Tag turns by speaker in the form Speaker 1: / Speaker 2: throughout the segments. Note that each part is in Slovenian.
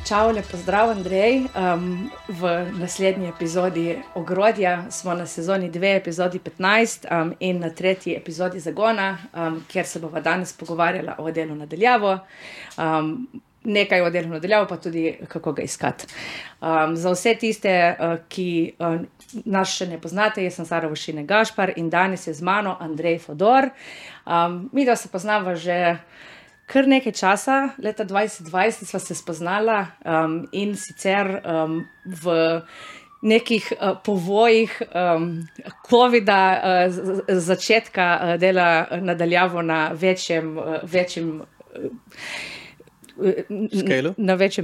Speaker 1: Čau, lepo zdrav, Andrej. V naslednji epizodi Ogrodja smo na sezoni 2, epizodi 15 in na 3. epizodi Zagona, kjer se bova danes pogovarjala o delu na daljavo. Nekaj o delu na daljavo, pa tudi kako ga iskati. Za vse tiste, ki nas še ne poznate, jaz sem Sara Vošine Gašpar in danes je z mano Andrej Fodor. Mi da se poznava že kar nekaj časa, leta 2020 sva se spoznala in sicer v nekih povojih covida, začetka dela nadaljavo na večjem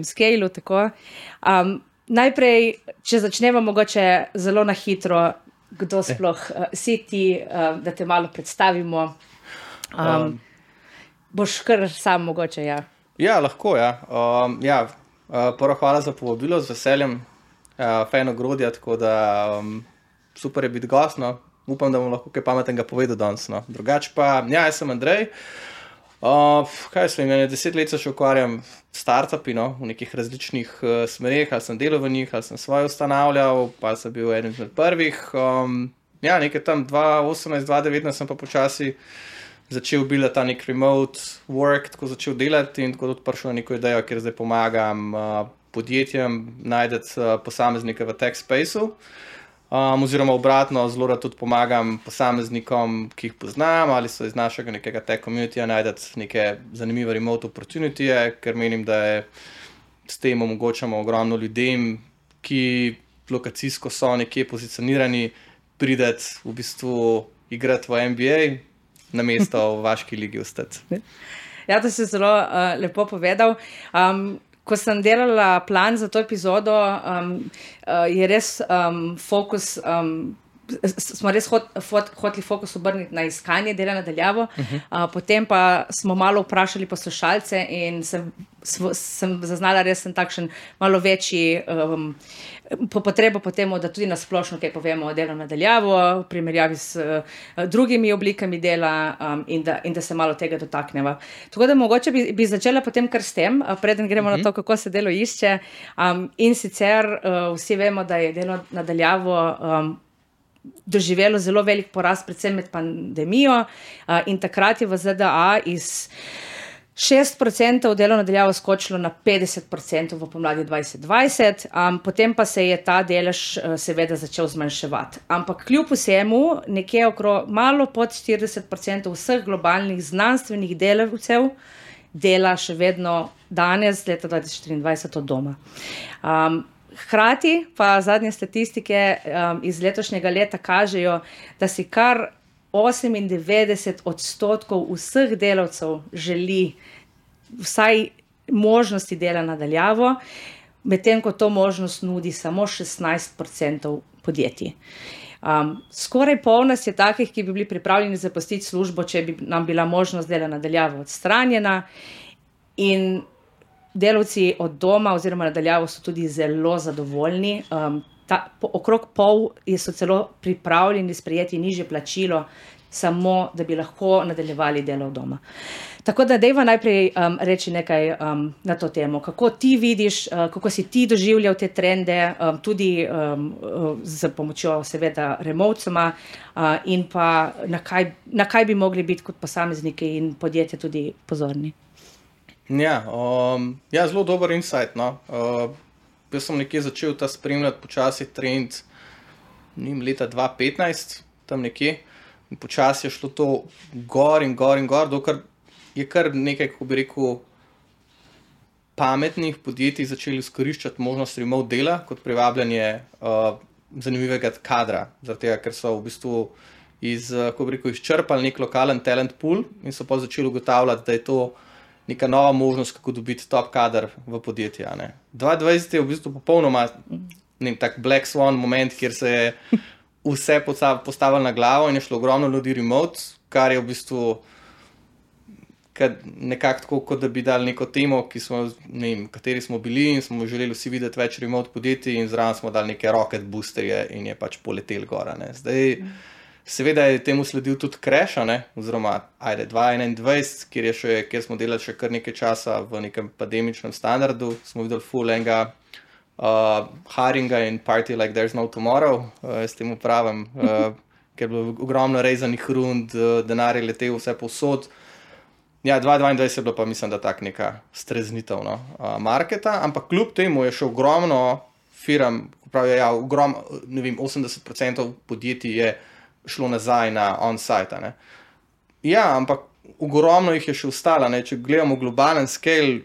Speaker 1: scaleu, tako. Najprej, če začnemo mogoče zelo na hitro, kdo sploh si ti, da te malo predstavimo. Boš kar sam mogoče, ja.
Speaker 2: Ja, lahko, ja. Prvo hvala za povabilo, z veseljem. Fan Ogrodja, tako da super je biti gost, no. Upam, da bom lahko kaj pametnega povedal danes, no. Drugače pa, ja, jaz sem Andrej. Kaj sem, 10 let se še ukvarjam startupi, no, v nekih različnih smereh, ali sem delal v njih, ali sem svoje ustanavljal, pa sem bil eden izmed prvih. Nekaj tam 2018-2019 sem pa počasi začel bila ta nek remote work, tako začel delati in tako tudi prišel na neko idejo, kjer zdaj pomagam podjetjem najdeti posameznike v tech spaceu. Oziroma obratno, zelo rad tudi pomagam posameznikom, ki jih poznam ali so iz našega nekega tech communityja najdeti neke zanimive remote opportunityje, ker menim, da je s tem omogočamo ogromno ljudem, ki lokacijsko so nekje pozicionirani, prideti v bistvu igrati v NBA, na mesto v vaški ligi ostati.
Speaker 1: Ja, to si zelo lepo povedal. Ko sem delala plan za to epizodo, je res fokus, smo res hoteli fokus obrniti na iskanje dela na daljavo, potem pa smo malo vprašali poslušalce in sem zaznala res takšen malo večji potrebo po temu, da tudi nasplošno kaj povemo o delu na daljavo, v primerjavi s drugimi oblikami dela in da se malo tega dotakneva. Tako da mogoče bi začela potem kar s tem, preden gremo na to, kako se delo išče. In sicer vsi vemo, da je delo na daljavo doživelo zelo velik porast, predvsem med pandemijo, in takrat je v ZDA iz 6% delo na daljavo skočilo na 50% v pomladi 2020, potem pa se je ta delež seveda začel zmanjševati. Ampak kljub vsemu, nekje malo pod 40% vseh globalnih znanstvenih delavcev dela še vedno danes, leta 2024, od doma. Hkrati pa zadnje statistike iz letošnjega leta kažejo, da si kar 98% vseh delavcev želi vsaj možnosti dela na daljavo, medtem ko to možnost nudi samo 16% podjetij. Skoraj pol nas je takih, ki bi bili pripravljeni zapustiti službo, če bi nam bila možnost dela na daljavo odstranjena, in delavci od doma oziroma na daljavo so tudi zelo zadovoljni. Okrog pol so celo pripravljeni sprejeti nižje plačilo, samo da bi lahko nadaljevali delo od doma. Tako da dejva najprej reči nekaj na to temo. Kako ti vidiš, kako si ti doživljal te trende, tudi z pomočjo seveda remotesoma, in pa na kaj bi mogli biti kot posamezniki in podjetje tudi pozorni?
Speaker 2: Zelo dober insight, no. Jaz sem nekje začel ta spremljati počasi trend leta 2015, tam nekje, in počasi je šlo to gor in gor, dokler je kar nekaj, kako bi rekel, pametnih podjetij začeli izkoriščati možnost remote dela kot privabljanje zanimivega kadra, zaradi tega, ker so v bistvu izčrpali nek lokalen talent pool in so pa začeli ugotavljati, da je to neka nova možnost, kako dobiti top kader v podjetje. 2020 je v bistvu popolnoma tak black swan moment, kjer se je vse postavilo na glavo in je šlo ogromno ljudi remote, kar je v bistvu nekako tako, kot da bi dali neko temo, kateri smo bili in smo želeli vsi videti več remote podjetij in zraven smo dali neke rocket boosterje in je pač poletel gor. Zdaj, Seveda je temu sledil tudi crash, oziroma 2021, kjer smo delali še kar nekaj časa v nekem pandemičnem standardu, smo videli full enega hiringa in party like there's no tomorrow, s tem upravim, ker je bilo ogromno rezanih rund, denar je letel vse povsod. Ja, 2022 je bilo pa, mislim, da tak neka streznitev marketa, ampak kljub temu je še ogromno firm, pravijo, ja, ne vem, 80% podjetij je šlo nazaj na on-site. Ja, ampak ogromno jih je še ostalo. Če gledamo globalen scale,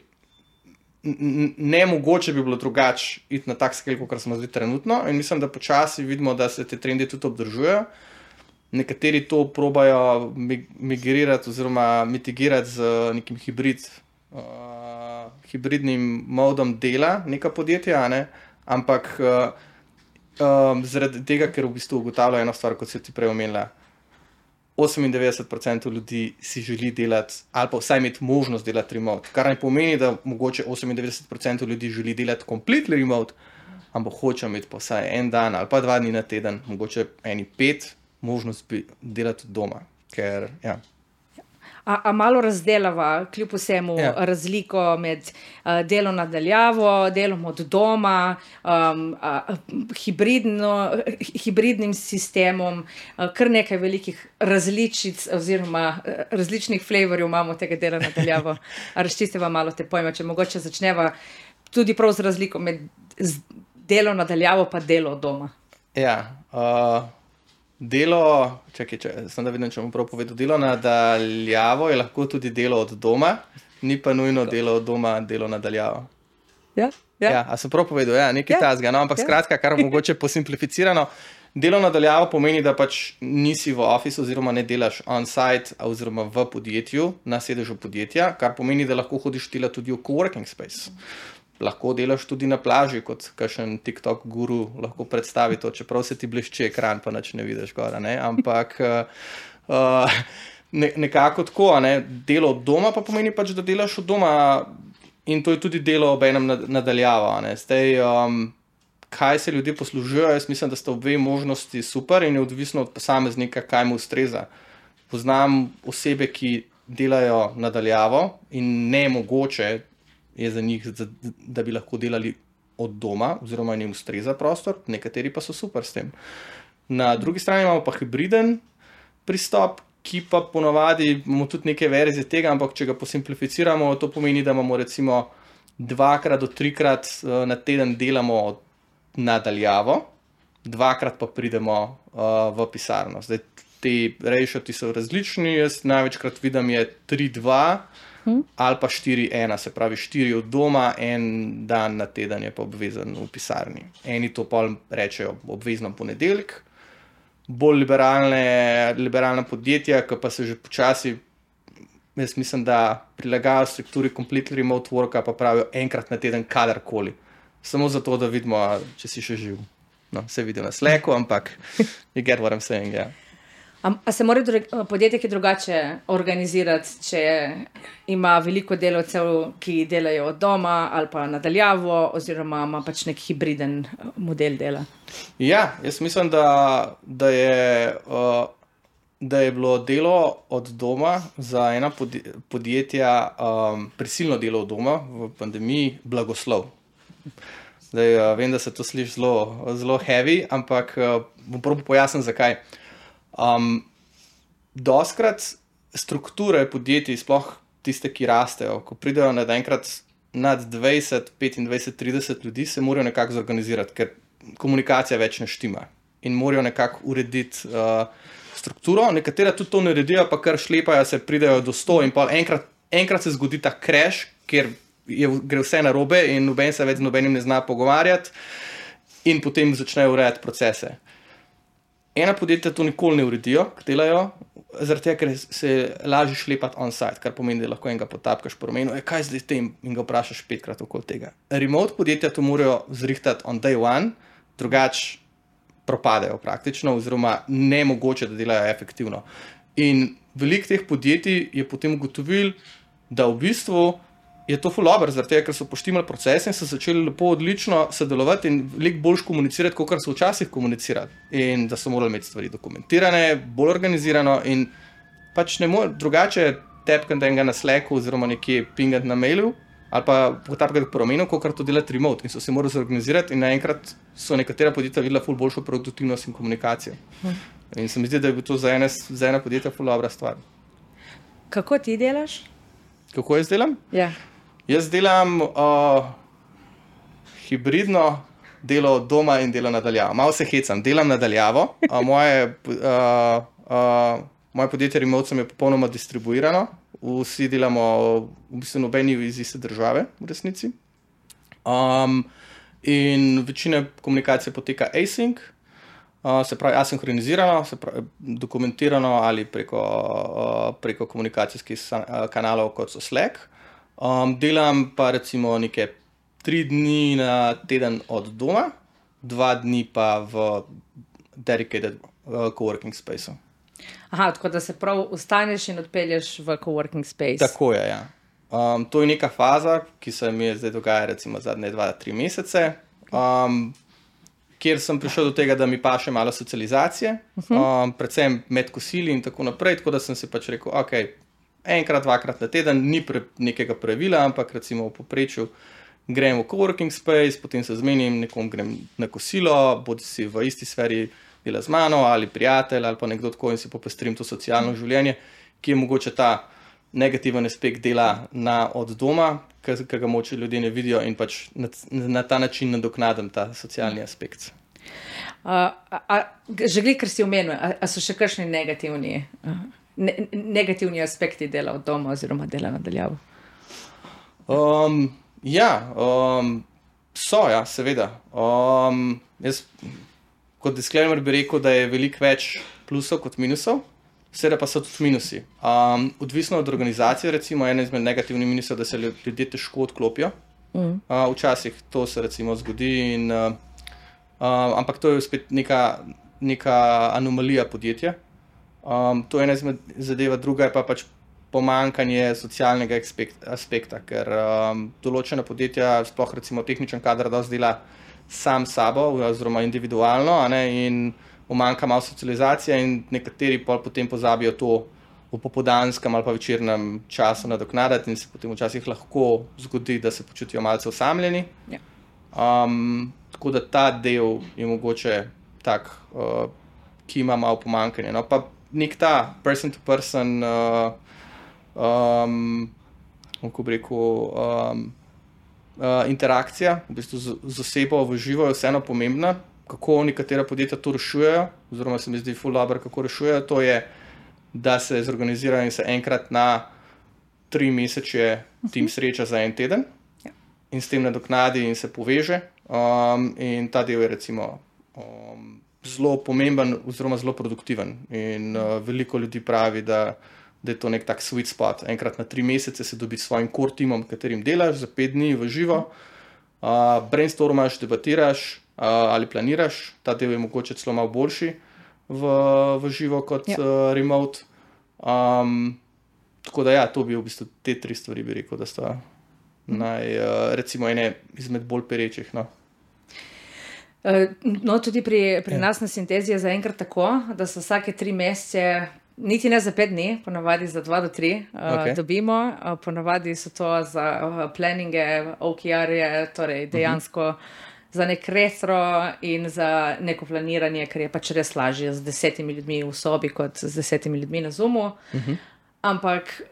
Speaker 2: nemogoče bi bilo drugače iti na tak scale, kot smo zdaj trenutno, in mislim, da počasi vidimo, da se te trendi tudi obdržujejo. Nekateri to probajo migrirati oziroma mitigirati z nekim hibridnim modom dela neka podjetja, ampak zaradi tega, ker v bistvu ugotavljajo eno stvar, kot si ti prej omenila, 98% ljudi si želi delati ali pa vsaj imeti možnost delati remote, kar ne pomeni, da mogoče 98% ljudi želi delati completely remote, ampak hoče imeti pa vsaj en dan ali pa 2 dni na teden, mogoče 5 možnost bi delati od doma, ker, ja.
Speaker 1: A malo razdelava, kljub vsemu, razliko med delom nadaljavo, delom od doma, hibridnim sistemom, kar nekaj velikih različic oziroma različnih flavorjev imamo tega dela nadaljavo. Razčistiva malo te pojme, če mogoče začneva tudi prav z razliko med delom nadaljavo pa delo od doma.
Speaker 2: Ja, delo, sem da vidim, če bom prav povedal, delo nadaljavo je lahko tudi delo od doma, ni pa nujno delo od doma, delo nadaljavo.
Speaker 1: Ja.
Speaker 2: A sem prav povedal, nekaj tazga, ampak skratka, kar mogoče posimplificirano, delo nadaljavo pomeni, da pač nisi v office oziroma ne delaš on-site oziroma v podjetju, na sedežu podjetja, kar pomeni, da lahko hodiš delati tudi v coworking space. Lahko delaš tudi na plaži, kot kakšen TikTok guru lahko predstavi to, čeprav se ti blešči ekran, pa nič ne vidiš gor, ampak nekako tako, delo od doma pa pomeni pač, da delaš od doma in to je tudi delo ob enem nadaljavo, Zdaj, kaj se ljudje poslužujejo, jaz mislim, da sta obe možnosti super in je odvisno od posameznika, kaj mu ustreza. Poznam osebe, ki delajo nadaljavo in nemogoče je za njih, da bi lahko delali od doma, oziroma jim ustreza prostor, nekateri pa so super s tem. Na drugi strani imamo pa hibriden pristop, ki pa ponavadi imamo tudi neke verzije tega, ampak če ga posimplificiramo, to pomeni, da imamo recimo 2 do 3 na teden delamo nadaljavo, 2 pa pridemo v pisarno. Zdaj, ti ratioti so različni, jaz največkrat vidim je 3-2, ali pa 4-1, se pravi 4 od doma, 1 dan na teden je pa obvezen v pisarni. Eni to pa rečejo obvezno ponedeljek, bolj liberalna podjetja, ki pa se že počasi, jaz mislim, da prilagajajo strukturi completely remote worka, pa pravijo 1 na teden kadarkoli. Samo zato, da vidimo, če si še živ. No, se vidi na Slacku, ampak you get what I'm saying, ja.
Speaker 1: A se mora podjetje ki drugače organizirati, če ima veliko delavcev, ki delajo od doma ali pa nadaljavo, oziroma ima pač nek hibriden model dela?
Speaker 2: Ja, jaz mislim, da je bilo delo od doma za ena podjetja, prisilno delo od doma v pandemiji, blagoslov. Zdaj, vem, da se to sliši zelo heavy, ampak bom probil pojasniti, zakaj. Doskrat strukture podjetij, sploh tiste, ki rastejo, ko pridejo naenkrat nad 20, 25, 30 ljudi, se morajo nekako zorganizirati, ker komunikacija več ne štima in morajo nekako urediti strukturo. Nekatera tudi to naredijo, pa kar šlepajo, se pridejo do 100 in pa enkrat se zgodi ta crash, kjer gre vse narobe in noben se več z nobenim ne zna pogovarjati in potem začnejo urejati procese. Ena podjetja to nikoli ne uredijo, delajo, zaradi tega, ker se lažje šlepati on-site, kar pomeni, da lahko enega potapkaš po ramenu, kaj zdaj tem, in ga vprašaš 5-krat okoli tega. Remote podjetja to morajo zrihtati on day one, drugače propadejo praktično, oziroma nemogoče, da delajo efektivno. In veliko teh podjetij je potem ugotovil, da v bistvu je to ful dobro, zaradi tega, ker so poštimali procese in so začeli lepo odlično sodelovati in veliko bolj komunicirati, kot so včasih komunicirali. In da so morali imeti stvari dokumentirane, bolj organizirano in pač ne more drugače tepkati enega na Slacku oziroma nekje pingati na mailu ali pa potapkati po ramenu, kot to delati remote. In so se morali zorganizirati in naenkrat so nekatera podjetja videla ful boljšo produktivnost in komunikacijo. In se mi zdi, da je bil to za ena podjetja ful dobra stvar.
Speaker 1: Kako ti delaš?
Speaker 2: Kako jaz delam?
Speaker 1: Ja.
Speaker 2: Jaz delam hibridno delo od doma in delo nadaljavo. Malo se hecam, delam nadaljavo. Moje podjetje Remote je popolnoma distribuirano. Vsi delamo v bistvu nobeni iz iste države v resnici. In večina komunikacije poteka async, se pravi asinhronizirano, se pravi dokumentirano ali preko komunikacijskih kanalov, kot so Slack. Delam pa recimo neke 3 dni na teden od doma, 2 dni pa v dedicated coworking spaceu.
Speaker 1: Aha, tako da se prav ustaneš in odpelješ v coworking space.
Speaker 2: Tako je, ja. To je neka faza, ki se mi je zdaj dogaja recimo zadnje 2-3 mesece, kjer sem prišel do tega, da mi paše malo socializacije, predvsem med kosili in tako naprej, tako da sem si pač rekel, ok, enkrat, 2-krat na teden, ni nekega pravila, ampak recimo v povprečju grem v coworking space, potem se zmenim, nekom grem na kosilo, bodi si v isti sferi dela z mano ali prijatelj ali pa nekdo tako in si popestrim to socialno življenje, ki je mogoče ta negativen aspekt dela od doma, ker ga moče ljudje ne vidijo in pač na ta način nadoknadim ta socialni aspekt.
Speaker 1: Že ker si omenil, a so še kakšni negativni aspekti dela od doma oziroma dela nadaljavo?
Speaker 2: Ja, seveda. Jaz kot disclaimer bi rekel, da je veliko več plusov kot minusov, seveda pa so tudi minusi. Odvisno od organizacije, recimo, ena izmed negativnih minusov, da se ljudje težko odklopijo. Včasih to se recimo zgodi, ampak to je spet neka anomalija podjetja. To je ena izmed zadeva, druga je pa pač pomanjkanje socialnega aspekta, ker določena podjetja, sploh recimo tehničen kader, dosti dela sam sabo oziroma individualno, in umanjka malo socializacija in nekateri potem pozabijo to v popoldanskem ali pa večernem času nadoknaditi in se potem včasih lahko zgodi, da se počutijo malce osamljeni.
Speaker 1: Ja.
Speaker 2: Tako da ta del je mogoče tak, ki ima malo pomanjkanje. No, pa nek ta person to person, kako bi rekel, interakcija v bistvu z osebo v živo je vseeno pomembna. Kako nekatera podjetja to rešujejo, oziroma se mi zdi ful dobro, kako rešujejo, to je, da se zorganizirajo in se enkrat na 3 mesece tim sreča za en teden in s tem nadoknadi in se poveže. In ta del je recimo zelo pomemben oziroma zelo produktiven. In veliko ljudi pravi, da je to nek tak sweet spot. Enkrat na 3 mesece se dobiti s svojim core timom, katerim delaš, za 5 dni v živo, brainstormaš, debatiraš ali planiraš. Ta del je mogoče celo malo boljši v živo kot remote. Tako da ja, to bi v bistvu te 3 stvari bi rekel, da sta recimo ene izmed bolj perečih.
Speaker 1: No, tudi pri nas na Sintezi je zaenkrat tako, da so vsake 3 mesece, niti ne za 5 dni, ponavadi za 2 do 3 dobimo. Ponavadi so to za planninge, OKR-je, torej dejansko za nek retro in za neko planiranje, ker je pač res lažje z 10 ljudmi v sobi kot z 10 ljudmi na Zoomu. Ampak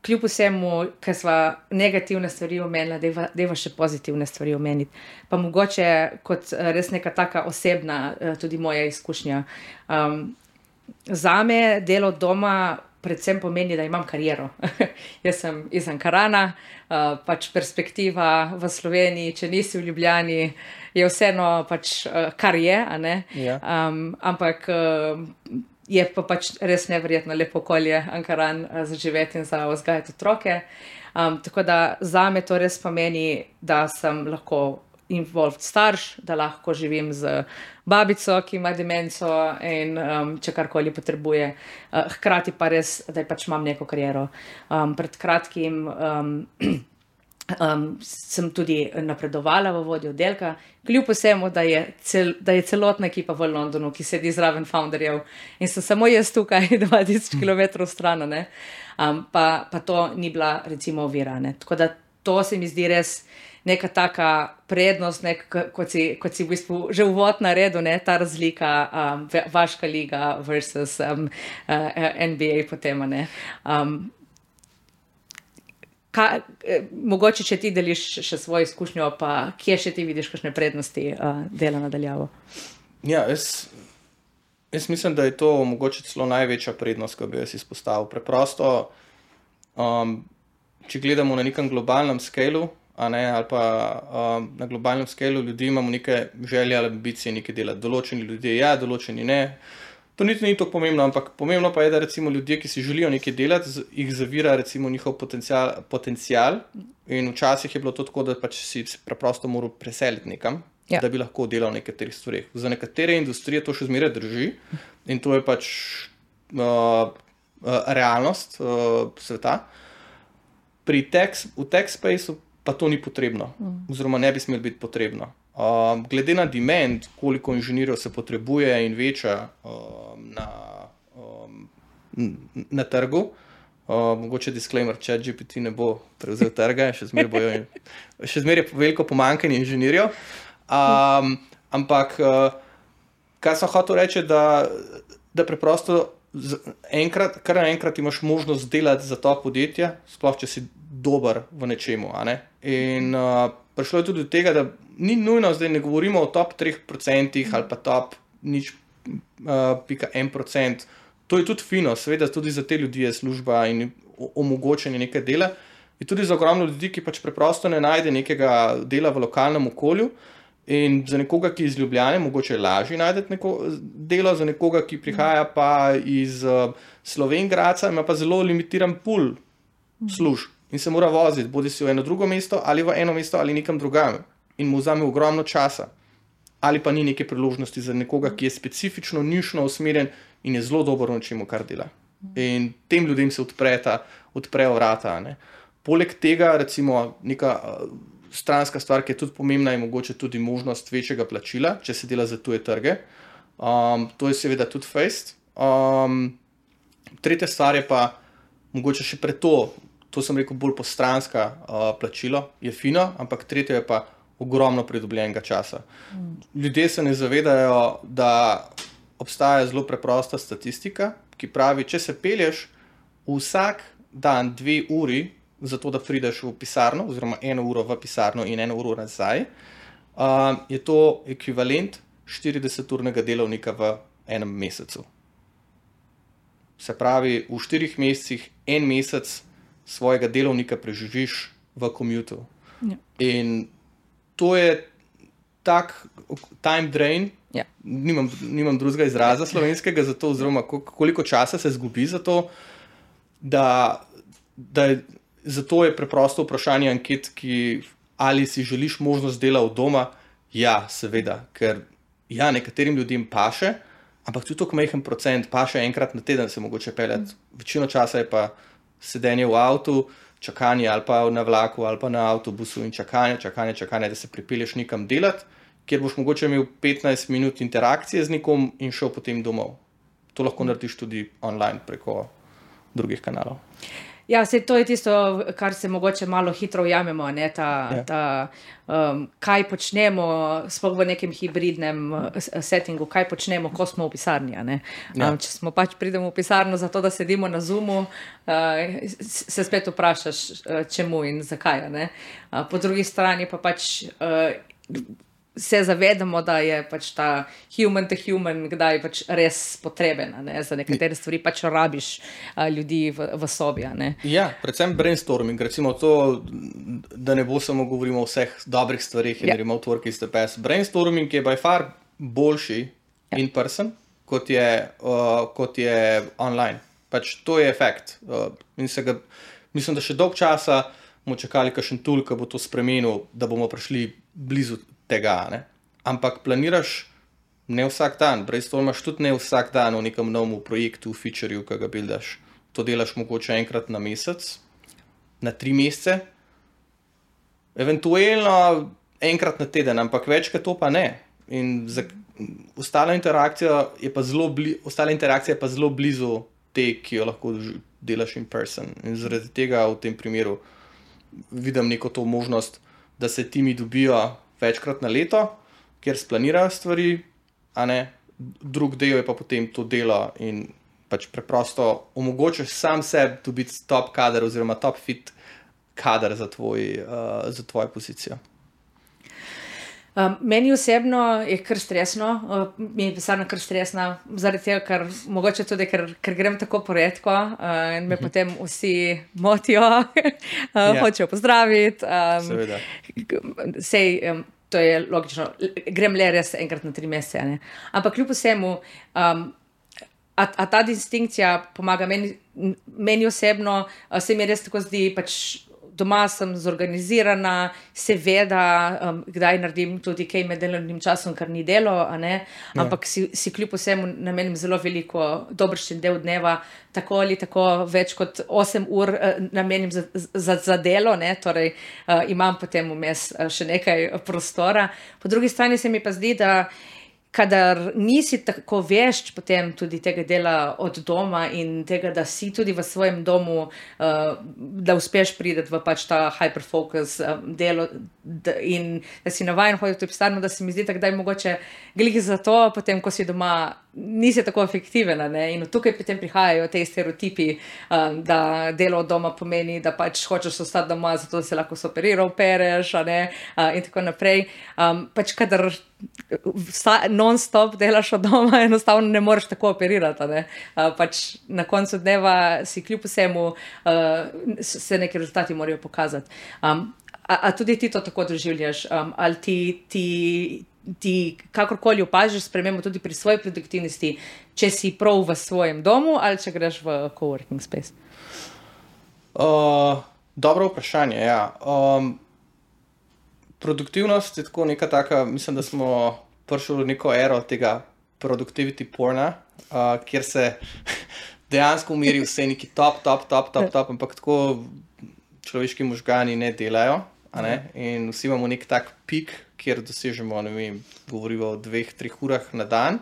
Speaker 1: kljub vsemu, ker sva negativne stvari omenila, deva še pozitivne stvari omeniti. Pa mogoče kot res neka taka osebna, tudi moja izkušnja. Zame delo doma predvsem pomeni, da imam kariero. Jaz sem iz Ankarana, pač perspektiva v Sloveniji, če nisi v Ljubljani, je vseeno pač kar je, a ne?
Speaker 2: Ja.
Speaker 1: Ampak je pa pač res neverjetno lepo okolje Ankaran za živeti in za vzgajati otroke. Tako da zame to res pomeni, da sem lahko involved starš, da lahko živim z babico, ki ima demenco in če karkoli potrebuje. Hkrati pa res, da pač imam neko kariero. Pred kratkim sem tudi napredovala v vodjo oddelka, kljub vsemu, da je celotna ekipa v Londonu, ki sedi zraven founderjev in sem samo jaz tukaj 2000 km stran, ne. Pa to ni bila recimo ovira, ne. Tako da to se mi zdi res neka taka prednost, kot si v bistvu že uvod naredil, ne, ta razlika, vaška liga versus NBA potem, ne. Mogoče, če ti deliš še svojo izkušnjo, pa kje še ti vidiš kakšne prednosti dela nadaljavo?
Speaker 2: Ja, jaz mislim, da je to mogoče celo največja prednost, ko bi jaz izpostavil. Preprosto, če gledamo na nekem globalnem skalu, ali pa na globalnem skalu ljudi imamo neke želje ali ambicije nekaj delati. Določeni ljudje ja, določeni ne. To niti ni tako pomembno, ampak pomembno pa je, da recimo ljudje, ki si želijo nekaj delati, jih zavira recimo njihov potencial in včasih je bilo to tako, da pač si preprosto moral preseliti nekam, da bi lahko delal v nekaterih stvareh. Za nekatere industrije to še zmeraj drži in to je pač realnost sveta. V tech spaceu pa to ni potrebno, oziroma ne bi smelo biti potrebno. Glede na demand, koliko inženirjev se potrebuje in veča na trgu, mogoče disclaimer, ChatGPT ne bo prevzel trga, še zmeraj je veliko pomanjkanje inženirjev, ampak kar sem hotel reči, da preprosto kar naenkrat imaš možnost delati za to podjetje, sploh če si dober v nečemu, a ne? In prišlo je tudi do tega, da ni nujno, zdaj ne govorimo o top 3% ali pa top 0,1%. To je tudi fino, seveda tudi za te ljudi je služba in omogočanje nekaj dela. Je tudi za ogromno ljudi, ki pač preprosto ne najde nekega dela v lokalnem okolju in za nekoga, ki iz Ljubljane, mogoče je lažje najti delo, za nekoga, ki prihaja pa iz Slovenj Gradca, ima pa zelo limitiran pool služb in se mora voziti, bodi si v eno drugo mesto ali v eno mesto ali nekam drugam. In mu vzame ogromno časa. Ali pa ni neke priložnosti za nekoga, ki je specifično, nišno usmerjen in je zelo dober v čemu, kar dela. In tem ljudem se odprejo vrata. Ne. Poleg tega, recimo, neka stranska stvar, ki je tudi pomembna, je mogoče tudi možnost večjega plačila, če se dela za tuje trge. To je seveda tudi fejst. Tretja stvar je pa mogoče še pred to sem rekel bolj postranska plačilo, je fino, ampak tretje je pa ogromno pridobljenega časa. Ljudje se ne zavedajo, da obstaja zelo preprosta statistika, ki pravi, če se pelješ vsak dan 2 uri, zato da prideš v pisarno, oziroma 1 uro v pisarno in 1 uro nazaj, je to ekvivalent 40-urnega delovnika v enem mesecu. Se pravi, v 4 mesecih 1 mesec svojega delovnika preživiš v commutu. Ja. In to je tak time drain, nimam drugega izraza slovenskega za to, oziroma koliko časa se zgubi za to, da zato je preprosto vprašanje anket, ali si želiš možnost dela od doma. Ja, seveda, ker ja, nekaterim ljudem paše, ampak tudi tako majhen procent paše enkrat na teden se mogoče peljati. Večino časa je pa sedenje v avtu, čakanje ali pa na vlaku ali pa na avtobusu in čakanje, da se pripelješ nekam delati, kjer boš mogoče imel 15 minut interakcije z nekom in šel potem domov. To lahko narediš tudi online preko drugih kanalov.
Speaker 1: Ja, to je tisto, kar se mogoče malo hitro ujamemo, ne, kaj počnemo, sploh v nekem hibridnem settingu, kaj počnemo, ko smo v pisarni. Ne. Če smo pač pridemo v pisarno zato, da sedimo na Zoomu, se spet vprašaš, čemu in zakaj. Ne. Po drugi strani pa pač se zavedamo, da je pač ta human to human kdaj pač res potreben, ne? Za nekatere stvari pač rabiš ljudi v sobi. Ne?
Speaker 2: Ja, predvsem brainstorming, recimo to, da ne bo samo govorimo o vseh dobrih stvarih in remote work is the best. Brainstorming je by far boljši in person, kot je online. Pač to je efekt. Mislim, da še dolg časa bomo čakali kakšen tool, ki bo to spremenil, da bomo prišli blizu tega, ne? Ampak planiraš ne vsak dan, brainstormaš tudi ne vsak dan v nekem novem projektu, featureu, ki ga buildaš. To delaš mogoče enkrat na mesec, na 3 mesece Eventualno enkrat na teden, ampak večkrat to pa ne. In ostala interakcija je pa zelo blizu te, ki jo lahko delaš in person. In zaradi tega v tem primeru vidim neko to možnost, da se timi dobijo večkrat na leto, kjer splanirajo stvari, a ne, drug del je pa potem to delo in pač preprosto omogočaš sam sebi dobiti top kader oziroma top fit kader za tvojo pozicijo.
Speaker 1: Meni osebno je kar stresno, mi je pisarna kar stresna, zaradi tega, ker mogoče tudi, ker grem tako poredko in me potem vsi motijo, hočejo pozdraviti.
Speaker 2: Seveda.
Speaker 1: Sej, to je logično, grem le res enkrat na 3 mesece, ne. Ampak kljub vsemu, a ta distinkcija pomaga meni osebno, se mi res tako zdi, pač doma sem zorganizirana, seveda, kdaj naredim tudi kaj med delovnim časom, kar ni delo, a ne, ampak si kljub vsemu namenim zelo veliko, dobršen del dneva, tako ali tako več kot 8 ur namenim za delo, ne, torej imam potem vmes še nekaj prostora. Po drugi strani se mi pa zdi, da kadar nisi tako vešč potem tudi tega dela od doma in tega, da si tudi v svojem domu, da uspeš priti v pač ta hyperfocus delo in da si navajen hoditi v pisarno, da se mi zdi tako, da je mogoče glih zato, potem, ko si doma, nisi tako efektiven, ne? In tukaj potem prihajajo te stereotipi, da delo od doma pomeni, da pač hočeš ostati doma, zato da se lahko operiral, pereš, ne? In tako naprej. Pač kadar non-stop delaš od doma, enostavno ne moreš tako operirati, ne? Pač na koncu dneva si kljub vsemu se neki rezultati morajo pokazati. A tudi ti to tako doživljaš? Ali ti kakorkoli opažiš spremembo tudi pri svoji produktivnosti, če si prav v svojem domu ali če greš v coworking space?
Speaker 2: Dobro vprašanje, ja. Produktivnost je tako neka taka, mislim, da smo prišli v neko ero tega productivity porna, kjer se dejansko umiri vse neki top, ampak tako človeški možgani ne delajo, a ne? In vsi imamo nek tak pik, kjer dosežemo, ne vem, govorimo o 2-3 urah na dan.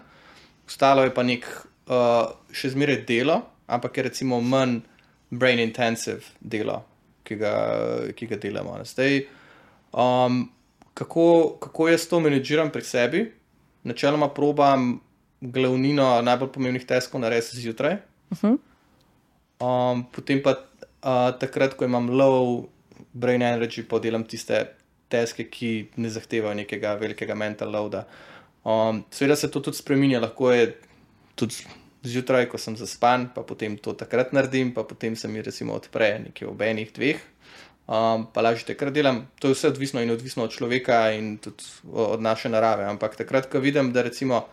Speaker 2: Ostalo je pa nek še zmeraj delo, ampak je recimo manj brain intensive delo, ki ga delamo. Zdaj, kako jaz to menedžiram pri sebi? Načeloma probam glavnino najbolj pomembnih taskov narediti zjutraj. Potem pa takrat, ko imam low brain energy, pa delam tiste taske, ki ne zahtevajo nekega velikega mental loada. Seveda se to tudi spreminja, lahko je tudi zjutraj, ko sem zaspan, pa potem to takrat naredim, pa potem se mi recimo odpre nekje ob 1-2, pa lažje takrat delam. To je vse odvisno od človeka in tudi od naše narave, ampak takrat, ko vidim, da recimo,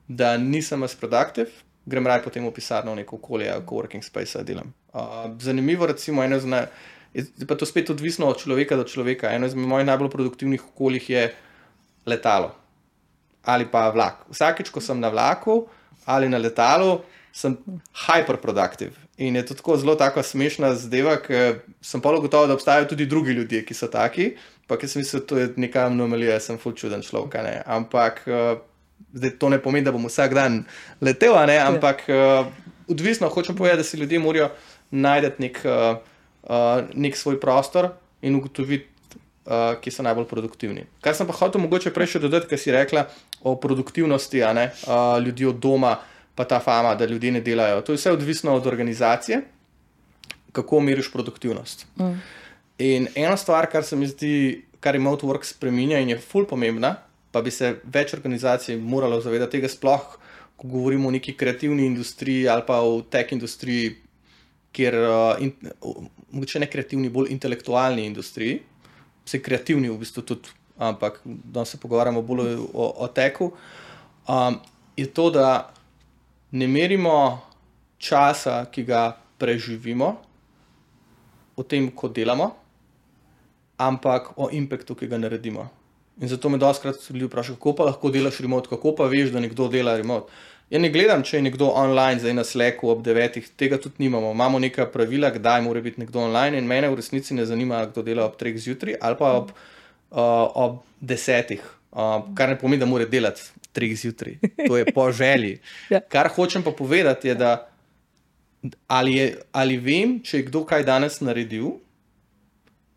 Speaker 2: da nisem as productive, grem raje potem v pisarno v neko okolje, coworking space delam. Zanimivo recimo, je pa to spet odvisno od človeka do človeka. Eno izmed mojih najbolj produktivnih okoljih je letalo ali pa vlak. Vsakič, ko sem na vlaku ali na letalu, sem hyperproductive. In je to tako zelo tako smešna zadeva, ker sem pa gotovo, da obstajajo tudi drugi ljudje, ki so taki, pa ker sem mislil, da to je neka anomalija, sem ful čuden človek, ne. Ampak zdaj to ne pomeni, da bom vsak dan letel, ne, ampak odvisno, hočem povedati, da si ljudje morajo najti nek svoj prostor in ugotoviti, ki so najbolj produktivni. Kar sem pa hotel mogoče prej še dodati, kar si rekla o produktivnosti, a ne, ljudi od doma, pa ta fama, da ljudje ne delajo. To je vse odvisno od organizacije, kako meriš produktivnost. In ena stvar, kar se mi zdi, kar remote work spreminja in je ful pomembna, pa bi se več organizacij moralo zavedati tega, sploh, ko govorimo o neki kreativni industriji ali pa o tech industriji, kjer, mogoče ne kreativni, bolj intelektualni industriji, vse kreativni v bistvu tudi, ampak danes se pogovarjamo bolj o techu, je to, da ne merimo časa, ki ga preživimo o tem, ko delamo, ampak o impactu, ki ga naredimo. In zato me dostikrat ljudi vprašajo, kako pa lahko delaš remote, kako pa veš, da nekdo dela remote. Ja ne gledam, če je nekdo online, zdaj na Slacku ob 9, tega tudi nimamo. Imamo neka pravila, kdaj mora biti nekdo online in mene v resnici ne zanima, kdo dela ob 3 zjutraj ali pa ob 10, kar ne pomeni, da mora delati 3 zjutraj. To je po želji. Kar hočem pa povedati je, da ali vem, če je kdo kaj danes naredil,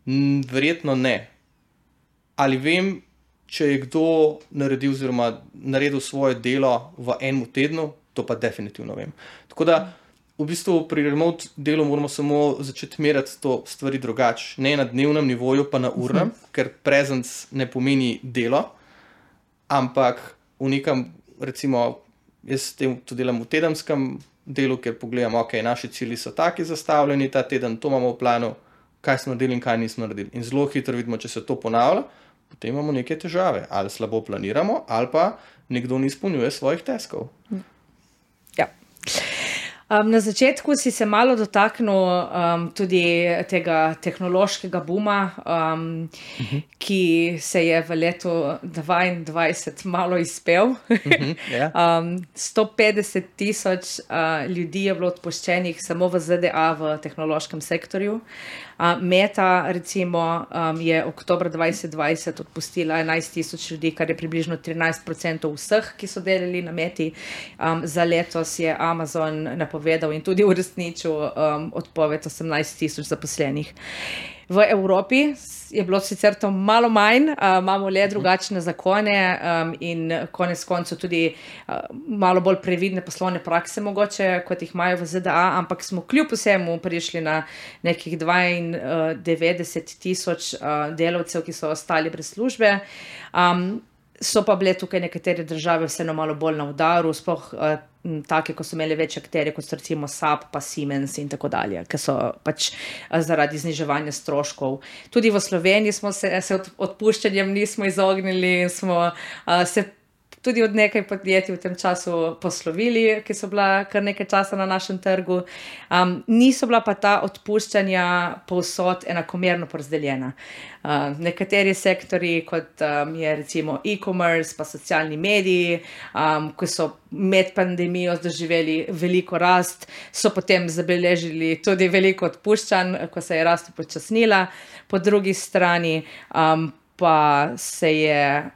Speaker 2: verjetno ne. Ali vem, če je kdo naredil oziroma naredil svoje delo v enem tednu, to pa definitivno vem. Tako da v bistvu pri remote delu moramo samo začeti meriti to stvari drugače. Ne na dnevnem nivoju, pa na urnem, ker presence ne pomeni delo, ampak v nekem, recimo, jaz to delam v tedenskem delu, ker pogledam, ok, naši cilji so taki zastavljeni, ta teden to imamo v planu, kaj smo naredili in kaj nismo naredili. In zelo hitro vidimo, če se to ponavlja, potem imamo neke težave. Ali slabo planiramo, ali pa nekdo ne izpolnjuje svojih taskov.
Speaker 1: Ja. Na začetku si se malo dotaknil tudi tega tehnološkega booma, ki se je v letu 2022 malo izpel. 150,000 ljudi je bilo odpuščenih samo v ZDA v tehnološkem sektorju. Meta, recimo, je oktobra 2020 odpustila 11,000 ljudi, kar je približno 13% vseh, ki so delali na Meti. Za letos je Amazon napovedal in tudi uresničil odpoved 18,000 zaposlenih. V Evropi je bilo sicer to malo manj, imamo le drugačne zakone in konec koncev tudi malo bolj previdne poslovne prakse mogoče, kot jih imajo v ZDA, ampak smo kljub vsemu prišli na nekih 92,000 delavcev, ki so ostali brez službe. So pa bile tukaj nekatere države vseeno malo bolj na udaru, sploh take, ko so imeli več akterje, kot so recimo SAP pa Siemens in tako dalje, ki so pač zaradi zniževanja stroškov. Tudi v Sloveniji smo se odpuščanjem nismo izognili in smo se tudi od nekaj podjetij v tem času poslovili, ki so bila kar nekaj časa na našem trgu. Niso bila pa ta odpuščanja povsod enakomerno porazdeljena. Nekateri sektori, kot je recimo e-commerce pa socialni mediji, ko so med pandemijo doživeli veliko rast, so potem zabeležili tudi veliko odpuščanj, ko se je rast upočasnila. Po drugi strani pa se je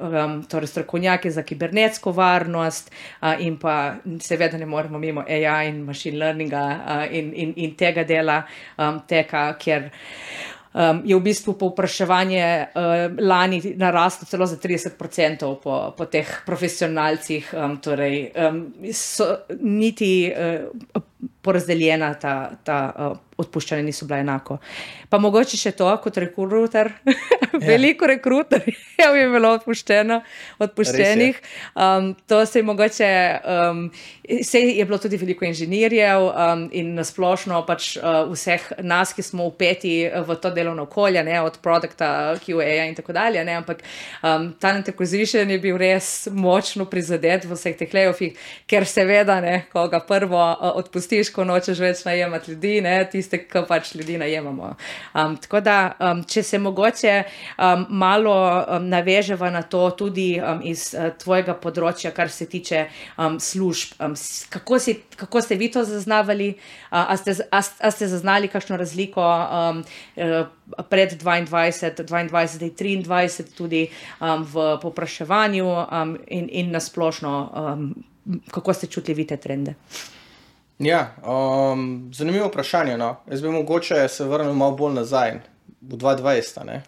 Speaker 1: torej strokovnjaki za kibernetsko varnost in pa seveda ne moremo mimo AI in machine learninga in tega dela teka, ker je v bistvu povpraševanje lani naraslo celo za 30% po teh profesionalcih, torej niti porazdeljena ta odpuščanja niso bila enako. Pa mogoče še to, kot rekruter, veliko rekruterjev je bilo odpuščenih. To se je mogoče, je bilo tudi veliko inženirjev in nasplošno pač vseh nas, ki smo vpeti v to delovno okolje, ne, od produkta, QA in tako dalje, ne, ampak talent acquisition je bil res močno prizadet v vseh teh layoffih, ker seveda, ne, ko ga prvo odpustiš, ko nočeš več najemati ljudi, ne, tiste, ki pač ljudi najemamo. Tako da, če se mogoče malo naveževa na to tudi iz tvojega področja, kar se tiče služb. Kako ste vi to zaznavali? A ste zaznali kakšno razliko pred 22 in 23 tudi v povpraševanju in nasplošno, kako ste čutili vi te trende?
Speaker 2: Ja, zanimivo vprašanje, no. Jaz bi mogoče se vrnil malo bolj nazaj, v 2020, ne,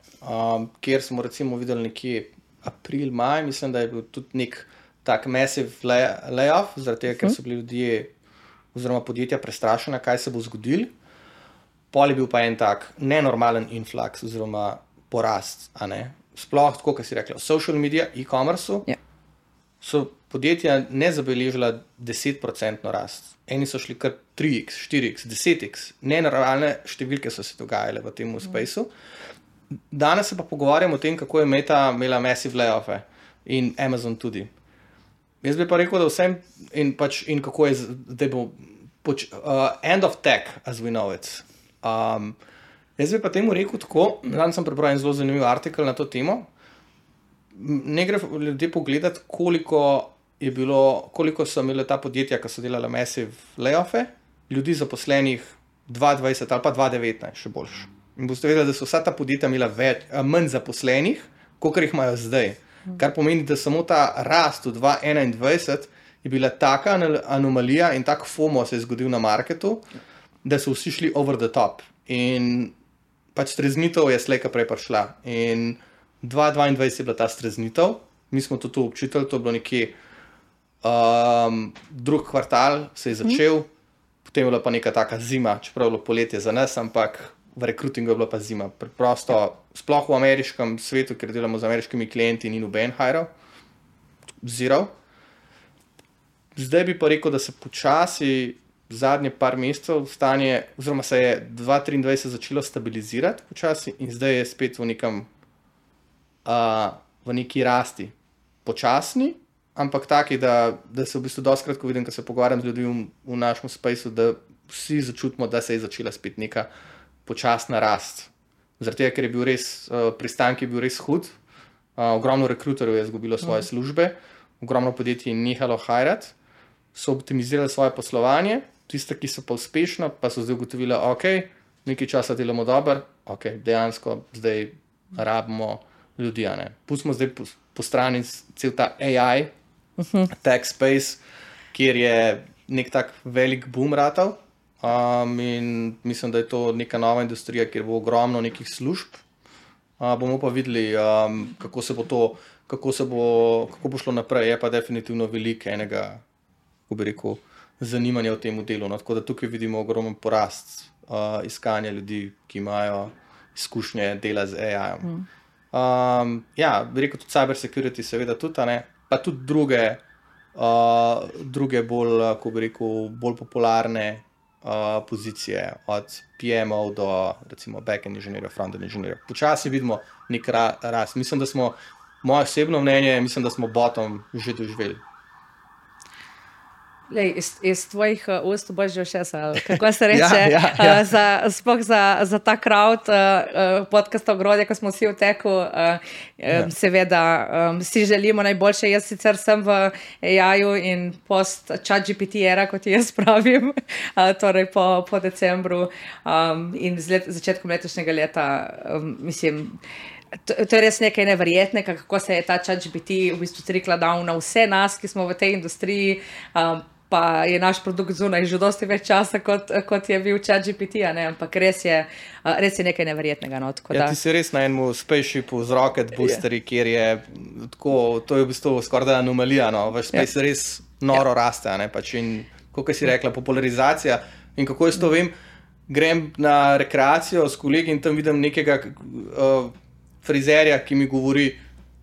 Speaker 2: kjer smo recimo videli nekje april, maj, mislim, da je bil tudi nek tak massive layoff, zaradi tega, ker so bili ljudje oziroma podjetja prestrašena, kaj se bo zgodilo. Pol je bil pa en tak nenormalen influx oziroma porast, a ne. Sploh tako, kot si rekla, v social media, e-commerce-u, so podjetja ne zabeležila 10% rast. Eni so šli kar 3x, 4x, 10x. Nenormalne številke so se dogajale v tem spaceu. Danes se pa pogovarjamo o tem, kako je Meta imela massive layoff-e in Amazon tudi. Jaz bi pa rekel, da vsem in kako je zdaj bo end of tech, as we know it. Jaz bi pa temu rekel tako, danes sem prebral en zelo zanimiv artikel na to temo. Ne gre ljudje pogledati, koliko je bilo, koliko so imeli ta podjetja, ki so delala massive layoff'e, ljudi zaposlenih 2020 ali pa 2019, še boljš. In boste vedeli, da so vsa ta podjetja imela manj zaposlenih, kot jih imajo zdaj. Kar pomeni, da samo ta rast v 2021 je bila taka anomalija in tak FOMO se je zgodil na marketu, da so vsi šli over the top. In pač streznitev je slejka prej prišla. In 2022 je bila ta streznitev, mi smo to občutili, to je bilo nekje drug kvartal se je začel, potem je bila pa neka taka zima, čeprav je bilo poletje za nas, ampak v rekrutingu je bila pa zima. Preprosto, sploh v ameriškem svetu, ker delamo z ameriškimi klienti, ni noben hiral, zero. Zdaj bi pa rekel, da se počasi zadnje par mesecev stanje, oziroma se je 2023 začelo stabilizirati počasi in zdaj je spet v nekem v neki rasti. Počasni, ampak taki, da se v bistvu dostikrat, ko vidim, ko se pogovarjam z ljudmi v našem spaceu, da vsi začutimo, da se je začela spet neka počasna rast. Zaradi tega, ker je bil res, pristanek je bil res hud, ogromno rekruterjev je izgubilo svoje službe, ogromno podjetij je nehalo hirati, so optimizirali svoje poslovanje, tiste, ki so pa uspešno, pa so zdaj ugotovili, ok, nekaj časa delamo dobro, ok, dejansko zdaj rabimo ljudi, a ne. Pustimo zdaj po strani cel ta AI, tech space, kjer je nek tak velik boom ratal, in mislim, da je to neka nova industrija, kjer bo ogromno nekih služb. Bomo pa videli, kako bo šlo naprej. Je pa definitivno veliko enega, kako bi rekel, zanimanja v tem delu. No, tako da tukaj vidimo ogromen porast iskanja ljudi, ki imajo izkušnje dela z AI-om. Ja, bi rekel tudi cyber security, seveda tudi, ne? Pa tudi druge bolj, kako bi rekel, bolj popularne pozicije, od PM-ov do recimo back-end inženirjev, front-end inženirjev. Počasi vidimo nek rast. Mislim, da smo, moje osebno mnenje, mislim, da smo bottom že doživeli.
Speaker 1: Lej, iz tvojih ust boš že všesa, kako se reče, sploh za ta crowd podcasta Ogrodje, ko smo vsi v teku, seveda si želimo najboljše. Jaz sicer sem v AI-ju in post ChatGPT era, kot jaz pravim, torej po decembru in začetkom letošnjega leta, mislim, to je res nekaj neverjetnega, kako se je ta ChatGPT v bistvu trickle down na vse nas, ki smo v tej industriji, pa je naš produkt zunaj že dosti več časa, kot je bil ChatGPT, ne? Ampak res je nekaj neverjetnega. No?
Speaker 2: Ja, ti si res na enem spaceshipu z Rocket Boosteri, kjer je tako, to je v bistvu skoraj anomalija, no? Vaš space res noro raste, ne? Pač in, kako si rekla, popularizacija in kako jaz to vem, grem na rekreacijo s kolegi in tam vidim nekega frizerja, ki mi govori,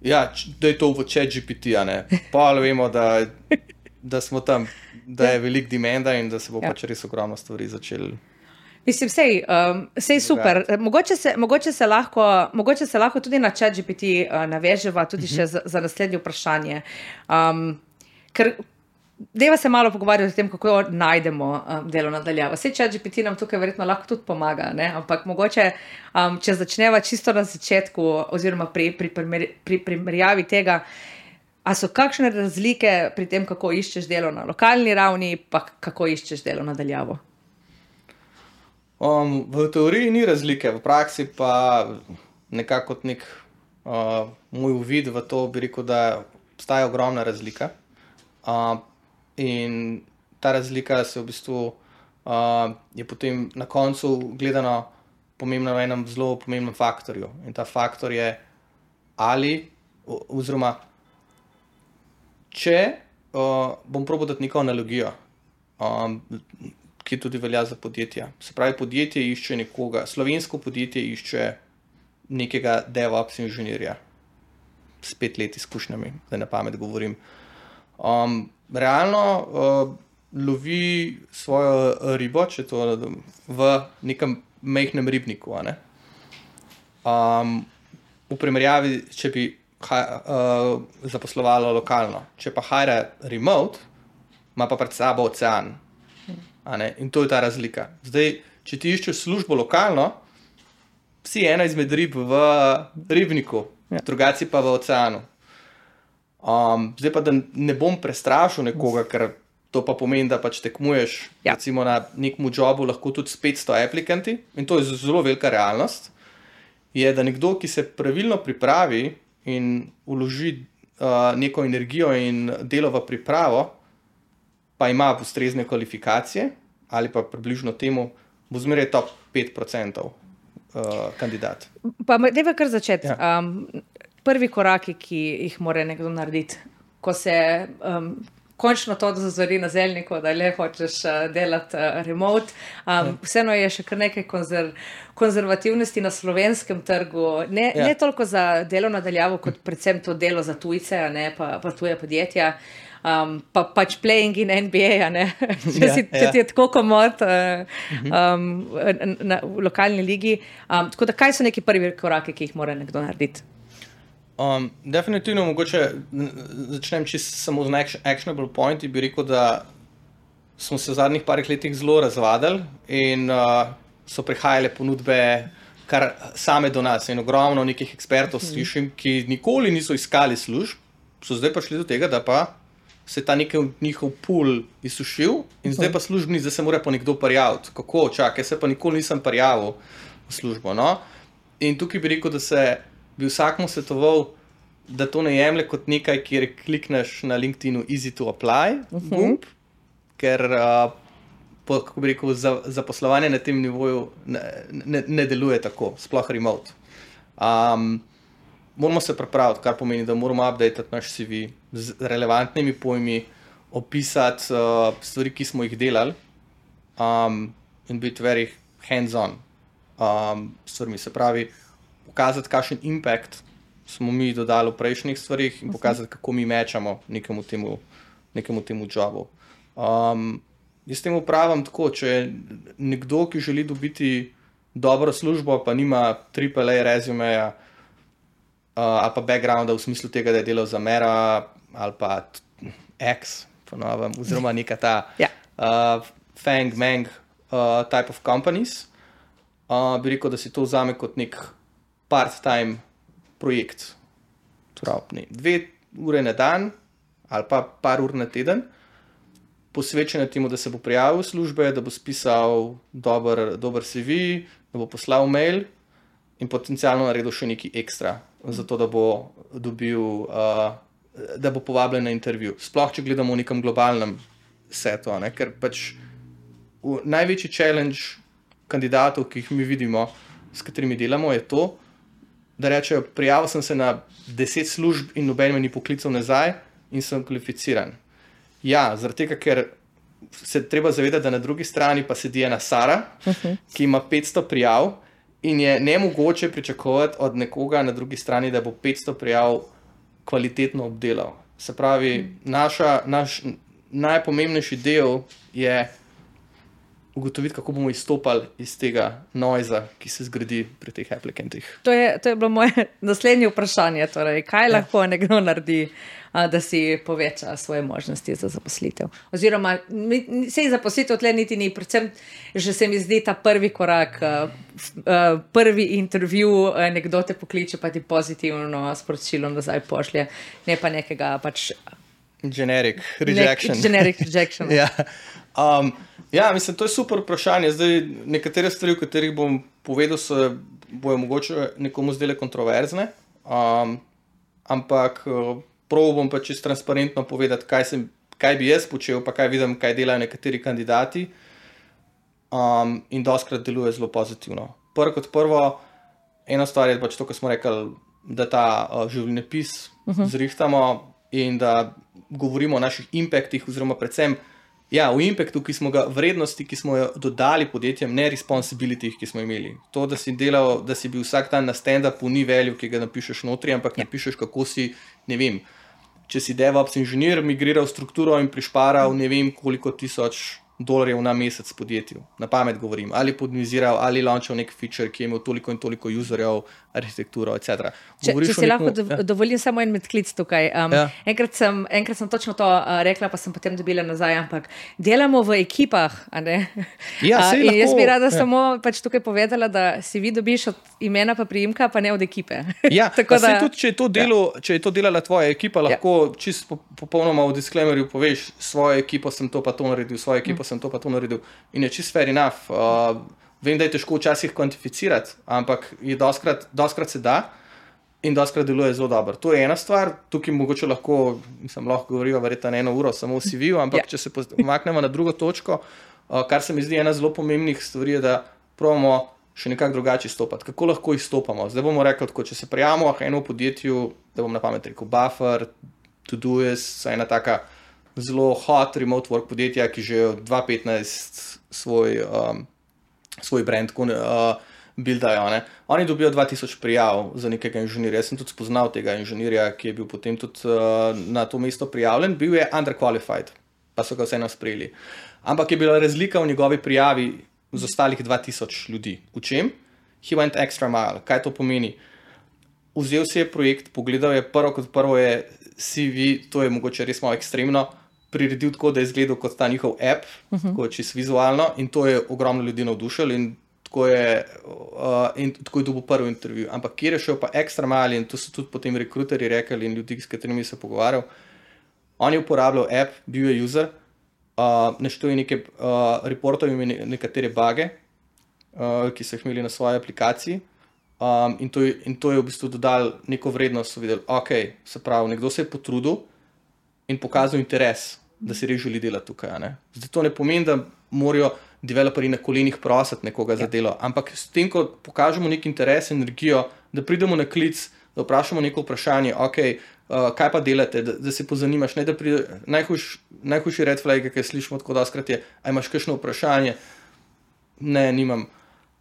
Speaker 2: ja, da je to v ChatGPT, ne? Pa vemo, da smo tam, da je velik demanda in da se bo pač res ogromno stvari začeli.
Speaker 1: Mislim, sej super. Mogoče se lahko tudi na ChatGPT naveževa tudi še za naslednje vprašanje. Ker deva se malo pogovarjati o tem, kako najdemo delo nadaljavo. Sej ChatGPT nam tukaj verjetno lahko tudi pomaga, ne? Ampak mogoče, če začneva čisto na začetku oziroma pri primerjavi tega, a so kakšne razlike pri tem, kako iščeš delo na lokalni ravni, pa kako iščeš delo nadaljavo?
Speaker 2: V teoriji ni razlike, v praksi pa nekako kot nek moj uvid v to bi rekel, da obstaja ogromna razlika. In ta razlika se v bistvu je potem na koncu gledano pomembna v enem zelo pomembnem faktorju. In ta faktor je oziroma če bom probal dati neko analogijo, ki tudi velja za podjetja. Se pravi, podjetje išče nekoga, slovensko podjetje išče nekega DevOps inženirja s 5 let izkušnjami, da na pamet govorim. Realno lovi svojo ribo, če to v nekem majhnem ribniku, a ne? V primerjavi, če bi zaposlovalo lokalno. Če pa hire remote, ima pa pred sabo ocean. A ne? In to je ta razlika. Zdaj, če ti iščeš službo lokalno, si ena izmed rib v ribniku, drugaci pa v oceanu. Zdaj pa, da ne bom prestrašil nekoga, ker to pa pomeni, da pač tekmuješ recimo na nekem jobu lahko tudi s 500 aplikanti in to je zelo velika realnost, je, da nekdo, ki se pravilno pripravi in vloži neko energijo in delo v pripravo, pa ima ustrezne kvalifikacije ali pa približno temu, bo zmeraj top 5% kandidat.
Speaker 1: Pa dajva kar začeti. Prvi koraki, ki jih mora nekdo narediti, ko se končno to zazori na zelniku, da le hočeš delati remote. Vseeno je še kar nekaj konzervativnosti na slovenskem trgu, ne toliko za delo nadaljavo, kot predvsem to delo za tujce, pa tuje podjetja. Pa pač playing in NBA, če ti je tako komod v lokalni ligi. Tako da, kaj so neki prvi koraki, ki jih mora nekdo narediti?
Speaker 2: Definitivno mogoče začnem čisto samo z actionable pointi, bi rekel, da smo se v zadnjih parih letih zelo razvadili in so prihajale ponudbe kar same do nas in ogromno nekih ekspertov slišim, ki nikoli niso iskali služb, so zdaj pa šli do tega, da pa se ta njihov pool izsušil in zdaj pa službni, zdaj se mora pa nekdo prijaviti. Kako? Čakaj, se pa nikoli nisem prijavil v službo, no? In tukaj bi rekel, da bi vsakmu svetoval, da to ne jemlje kot nekaj, kjer klikneš na LinkedInu easy to apply, gumb, ker kako bi rekel, zaposlovanje na tem nivoju ne deluje tako, sploh remote. Moramo se pripraviti, kar pomeni, da moramo updatati naš CV z relevantnimi pojmi, opisati stvari, ki smo jih delali in biti very hands-on stvarmi. Se pravi, pokazati, kakšen impact smo mi dodali v prejšnjih stvarih in pokazati, kako mi mečamo nekemu temu jobu. Jaz temu pravim tako, če je nekdo, ki želi dobiti dobro službo, pa nima AAA rezumeja ali pa backgrounda v smislu tega, da je delal za Mera ali pa X, ponovim, oziroma neka ta Fang, Mang type of companies, bi rekel, da si to vzame kot nek part-time projekt. Torej, 2 ure na dan ali pa par ur na teden, posvečen temu, da se bo prijavil v službe, da bo spisal dober CV, da bo poslal mail in potencialno naredil še nekaj ekstra, zato da bo dobil, da bo povabljen na intervju. Sploh, če gledamo v nekem globalnem setu, ker pač največji challenge kandidatov, ki jih mi vidimo, s katerimi delamo, je to, da rečejo, prijavil sem se na 10 služb in noben me ni poklical nazaj in sem kvalificiran. Ja, zaradi tega, ker se treba zavedati, da na drugi strani pa sedi ena Sara, ki ima 500 prijav in je nemogoče pričakovati od nekoga na drugi strani, da bo 500 prijav kvalitetno obdelal. Se pravi, naš najpomembnejši del je ugotoviti, kako bomo izstopali iz tega noiza, ki se zgradi pri teh aplikantih.
Speaker 1: To je bilo moje naslednje vprašanje. Torej, kaj lahko nekdo naredi, da si poveča svoje možnosti za zaposlitev? Oziroma, sej zaposlitev tle niti ni, predvsem že se mi zdi ta prvi korak, prvi intervju, nekdo te pokliče, pa ti pozitivno sporočilo nazaj pošlje, ne pa nekega pač...
Speaker 2: Generic rejection.
Speaker 1: Generic rejection.
Speaker 2: Ja, mislim, to je super vprašanje. Zdaj, nekatere stvari, o katerih bom povedal, bojo mogoče nekomu zdele kontroverzne, ampak prav bom pa čisto transparentno povedati, kaj bi jaz počel, pa kaj vidim, kaj delajo nekateri kandidati in dostikrat deluje zelo pozitivno. Prvo, ena stvar je pač to, ko smo rekli, da ta življenjepis zrihtamo in da govorimo o naših impactih, oziroma predvsem o impactu, vrednosti, ki smo jo dodali podjetjem, ne responsibility, ki smo imeli. To, da si delal, da si bil vsak dan na stand-upu, ni value, ki ga napišeš notri, ampak napišeš, kako si, ne vem, če si DevOps inženir, migriral strukturo in prišparal ne vem koliko tisoč dolarjev na mesec podjetju, na pamet govorim, ali podmiziral, ali launchal nek feature, ki je imel toliko in toliko userjev, arhitekturo, etc.
Speaker 1: Če si lahko dovolim samo en medklic tukaj. Enkrat sem točno to rekla, pa sem potem dobila nazaj, ampak delamo v ekipah, a ne? In jaz bi rada samo pač tukaj povedala, da si vi dobiš od imena pa priimka, pa ne od ekipe.
Speaker 2: Ja, tudi če je to delala tvoja ekipa, lahko čisto popolnoma v disclaimerju poveš, svojo ekipo sem to pa to naredil, svojo ekipo sem to pa to naredil in je čisto fair enough. Vem, da je težko včasih kvantificirati, ampak je doskrat se da in doskrat deluje zelo dobro. To je ena stvar, tukaj mogoče lahko govoriva verjetno 1 uro samo v CV-ju, ampak če se pomaknemo na drugo točko, kar se mi zdi ena zelo pomembnih stvari, je, da probamo še nekako drugače izstopati. Kako lahko izstopamo? Zdaj bomo rekli, tako, če se prijavimo eno v podjetju, da bom na pamet rekel Buffer, Todoist, ena taka zelo hot remote work podjetja, ki že od 2015 svoj brand buildajo. Oni dobijo 2000 prijav za nekega inženirja. Jaz sem tudi spoznal tega inženirja, ki je bil potem tudi na to mesto prijavljen. Bil je underqualified, pa so ga vseeno sprejeli. Ampak je bila razlika v njegovi prijavi z ostalih 2000 ljudi. V čem? He went extra mile. Kaj to pomeni? Vzel si je projekt, pogledal je prvo je CV, to je mogoče res malo ekstremno, priredil tako, da je izgledal kot ta njihov app, tako čisto vizualno, in to je ogromno ljudi navdušilo in tako je dobil prvi intervju. Ampak kjer je šel pa ekstra mali, in to so tudi potem rekruterji rekli in ljudi, s katerimi se pogovarjal, on je uporabljal app, bil je user, naštel je nekaj reportov in nekatere bage, ki so jih imeli na svoji aplikaciji. In to je v bistvu dodal neko vrednost, so videli, ok, se pravi, nekdo se je potrudil in pokazal interes, da si res želi delati tukaj. Zdaj to ne pomeni, da morajo developerji na kolenih prositi nekoga za delo, ampak s tem, ko pokažemo nek interes, energijo, da pridemo na klic, da vprašamo neko vprašanje, ok, kaj pa delate, da se pozanimaš, ne da pride, najhujši red flag, ki slišimo tako doskrat je, a imaš kakšno vprašanje? Ne, nimam.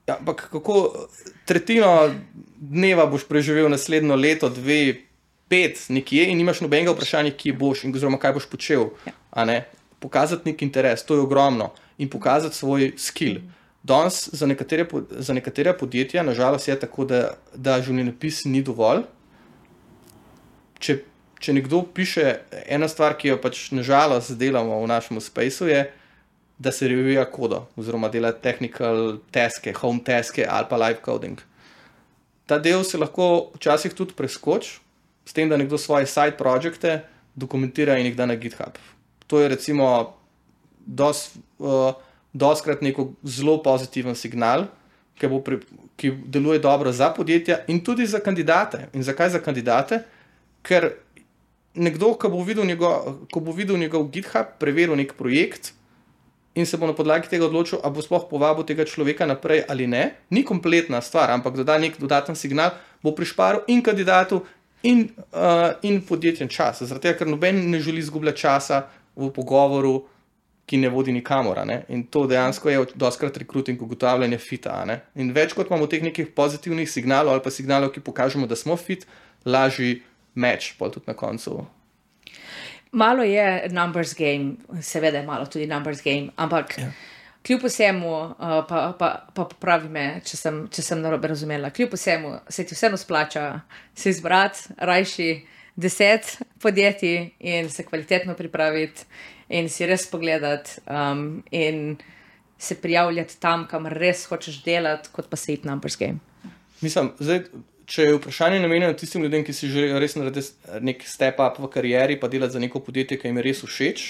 Speaker 2: Ja, ampak kako tretjino dneva boš preživel naslednjo leto, 2, 5 nekje in nimaš nobenega vprašanja, kje boš in oziroma kaj boš počel. Pokazati nek interes, to je ogromno. In pokazati svoj skill. Danes za nekatera podjetja, nažalost je tako, da življenjepis ni dovolj. Če nekdo piše, ena stvar, ki jo pač nažalost delamo v našem spaceu je, da se revija kodo, oziroma dela technical taske, home taske ali pa live coding. Ta del se lahko včasih tudi preskoči, s tem, da nekdo svoje side projekte dokumentira in jih da na GitHub. To je recimo dostkrat neko zelo pozitiven signal, ki deluje dobro za podjetja in tudi za kandidate. In zakaj za kandidate? Ker nekdo, ko bo videl njegov GitHub, preveril nek projekt, in se bo na podlagi tega odločil, a bo sploh povabil tega človeka naprej ali ne. Ni kompletna stvar, ampak doda nek dodaten signal, bo prišparil in kandidatu in podjetjem čas. Zaradi tega, ker noben ne želi izgubljati časa v pogovoru, ki ne vodi nikamor. In to dejansko je dostkrat rekruting, ugotavljanje fita. In več kot imamo teh nekih pozitivnih signalov ali pa signalov, ki pokažemo, da smo fit, lažji match, pa tudi na koncu.
Speaker 1: Malo je numbers game, seveda je malo tudi numbers game, ampak kljub vsemu, pa popravi me, če sem narobe razumela, kljub vsemu se ti vseeno splača se izbrati, rajši 10 podjetij in se kvalitetno pripraviti in si res pogledati in se prijavljati tam, kam res hočeš delati, kot pa se iti numbers game.
Speaker 2: Mislim, zdaj, če je vprašanje namenjeno tistim ljudem, ki si želijo res narediti nek step up v karieri, pa delati za neko podjetje, ki jim je res všeč,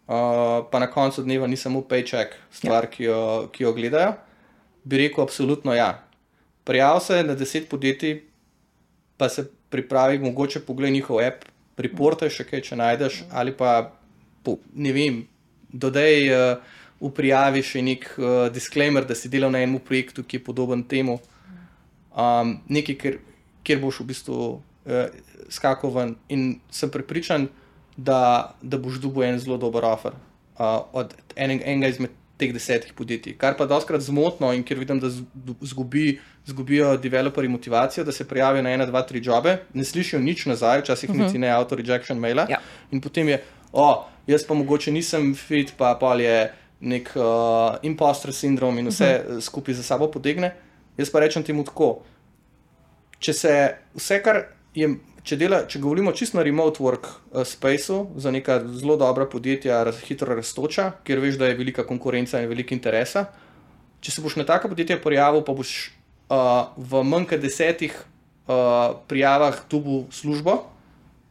Speaker 2: pa na koncu dneva ni samo paycheck stvar, ki jo gledajo, bi rekel absolutno ja. Prijav se na 10 podjetij, pa se pripravi, mogoče pogled njihov app, reportaj še kaj, če najdeš, ali pa, ne vem, dodaj v prijavi še nek disclaimer, da si delal na enem projektu, ki je podoben temu, nekaj, kjer boš v bistvu skakal ven in sem prepričan, da boš dobil en zelo dober offer od enega izmed teh 10 podjetij. Kar pa dostkrat zmotno in kjer vidim, da zgubijo developerji motivacijo, da se prijavijo na 1, 2, 3 jobe, ne slišijo nič nazaj, včasih niti ne auto rejection maila in potem je, jaz pa mogoče nisem fit, pa pol je nek imposter sindrom in vse skupaj za sabo potegne. Jaz pa rečem temu tako, če se vse, kar je, če govorimo čisto na remote work spaceu, za neka zelo dobra podjetja, hitro rastoča, kjer veš, da je velika konkurenca in velika interesa, če se boš na taka podjetja prijavil, pa boš v manj kot 10 prijavah dobil službo,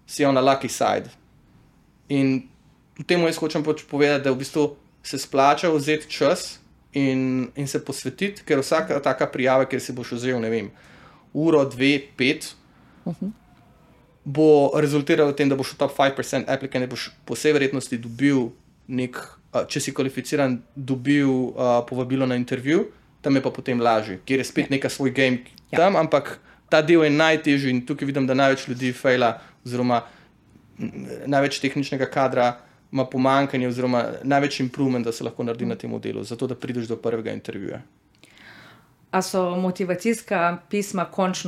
Speaker 2: si on na lucky side. In v temu jaz hočem povedati, da v bistvu se splača vzeti čas in se posvetiti, ker vsaka taka prijava, kjer si boš vzel, ne vem, uro, 2, 5, bo rezultiralo v tem, da boš v top 5% applicant, boš po vsej verjetnosti dobil če si kvalificiran, dobil povabilo na intervju, tam je pa potem lažje, kjer je spet neka svoj game tam, ampak ta del je najtežji in tukaj vidim, da največ ljudi fejla, oziroma največ tehničnega kadra ima pomanjkanje, oziroma največ improvement, da se lahko naredi na tem delu, zato da prideš do prvega intervjuja.
Speaker 1: A so motivacijska pisma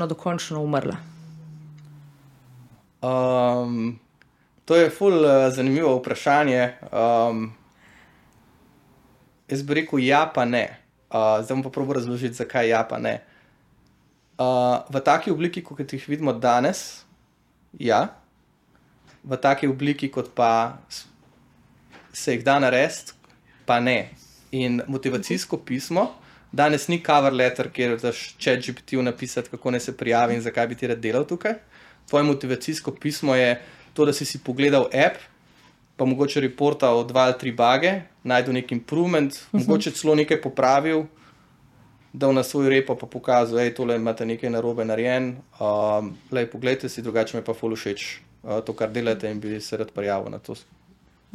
Speaker 1: dokončno umrla?
Speaker 2: To je ful zanimivo vprašanje. Jaz bi rekel ja pa ne. Zdaj bom pa probal razložiti, zakaj ja pa ne. V taki obliki, kot jih vidimo danes, ja. V taki obliki, kot pa se jih da narediti, pa ne. In motivacijsko pismo, danes ni cover letter, kjer daš ChatGPT napisati, kako ne se prijavi in zakaj bi ti rad delal tukaj. Tvoje motivacijsko pismo je to, da si pogledal app, pa mogoče reportal 2 ali 3 bage, najdel nek improvement, mogoče celo nekaj popravil, dal na svoj repo pa pokazal, tole imate nekaj narobe narejen, poglejte si, drugače me pa ful všeč to, kar delate in bi se rad prijavil na to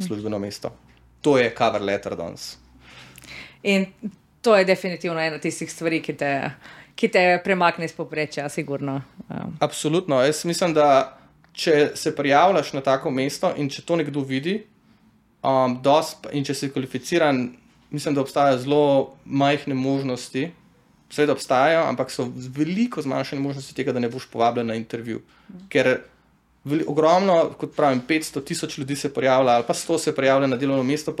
Speaker 2: službeno mesto. To je cover letter danes.
Speaker 1: In to je definitivno ena tistih stvari, ki te premakne iz povprečja, sigurno.
Speaker 2: Absolutno. Jaz mislim, da če se prijavljaš na tako mesto in če to nekdo vidi, in če si kvalificiran, mislim, da obstajajo zelo majhne možnosti, seveda obstajajo, ampak so veliko zmanjšane možnosti tega, da ne boš povabljen na intervju. Ker ogromno, kot pravim, 500,000 ljudi se prijavlja ali pa 100 se prijavlja na delovno mesto,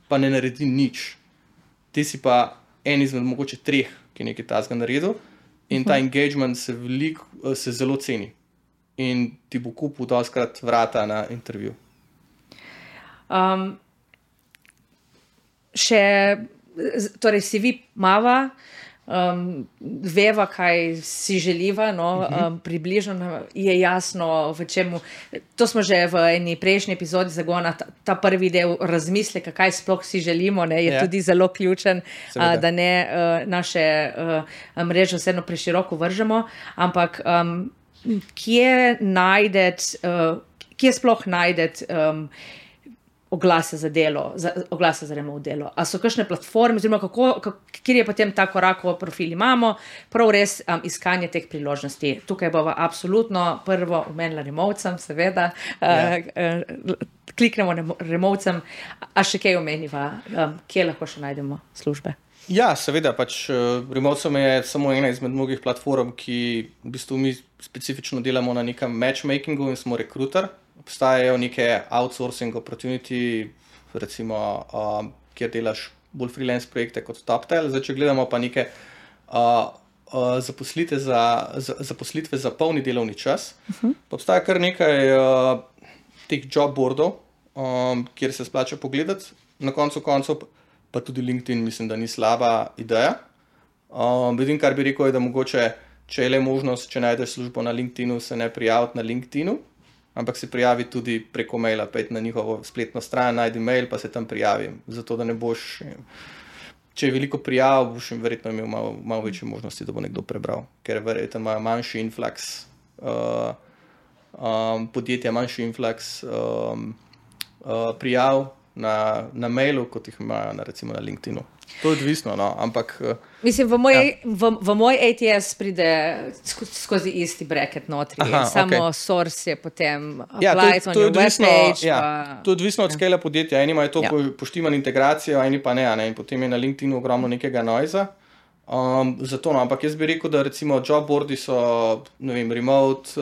Speaker 2: pa ne naredi nič. Ti si pa en izmed mogoče 3, ki je nekaj tazga naredil in ta engagement se zelo ceni in ti bo kupil dostikrat vrata na intervju.
Speaker 1: Torej CV mava, veva, kaj si želiva, približno je jasno, v čemu. To smo že v eni prejšnji epizodi Zagona, ta prvi del razmisleka, kaj sploh si želimo, je tudi zelo ključen, da ne naše mreže vseeno preširoko vržemo, ampak kje sploh najdeti oglase za delo, oglase za remote delo. A so kakšne platforme, oziroma kjer je potem ta korak, ko profil imamo, prav res iskanje teh priložnosti. Tukaj bova absolutno prvo omenila removcem, seveda, kliknemo removcem, a še kaj omeniva, kje lahko še najdemo službe?
Speaker 2: Ja, seveda, removcem je samo ena izmed mnogih platform, ki v bistvu mi specifično delamo na nekem matchmakingu in smo rekruter. Obstajajo neke outsourcing opportunity, recimo, kjer delaš bolj freelance projekte kot TopTel. Zdaj, če gledamo pa neke zaposlitve za polni delovni čas, pa obstaja kar nekaj teh job boardov, kjer se splača pogledati. Na koncu koncev pa tudi LinkedIn mislim, da ni slaba ideja. Edino, kar bi rekel, je, da mogoče, če je le možnost, če najdeš službo na LinkedInu, se ne prijaviti na LinkedInu, ampak se prijavi tudi preko maila, pejti na njihovo spletno stran, najdi mail, pa se tam prijavi. Zato, da ne boš, če je veliko prijav, boš verjetno imel malo večje možnosti, da bo nekdo prebral, ker verjetno imajo manjši influx podjetja, manjši influx prijav na mailu, kot jih imajo recimo na LinkedInu. To je odvisno, ampak...
Speaker 1: Mislim, v moj ATS pride skozi isti bracket notri. Samo source je potem applied on your webpage.
Speaker 2: To je odvisno od skala podjetja. Eni imajo to poštiman integracijo, eni pa ne. In potem je na LinkedInu ogromno nekega noiza. Zato, ampak jaz bi rekel, da recimo jobboardi so, ne vem, remote,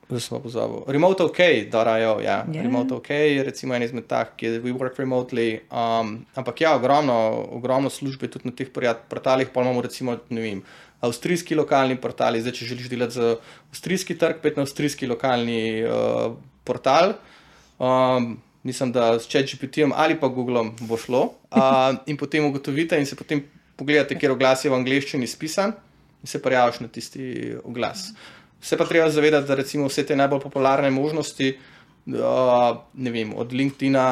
Speaker 2: Zdaj smo pozabil. Remote OK, .io, ja. Remote OK je recimo en izmed tak, ki je we work remotely. Ampak ja, ogromno službe tudi na teh portalih, pa imamo recimo, ne vem, avstrijski lokalni portali, zdaj če želiš delati za avstrijski trg, pet na avstrijski lokalni portal. Mislim, da s ChatGPT-jem ali pa Googlom bo šlo. In potem ugotovite in se potem pogledate, kjer oglas je v angleščini spisan in se prijaviš na tisti oglas. Se pa treba zavedati, da recimo vse te najbolj popularne možnosti, ne vem, od LinkedIna,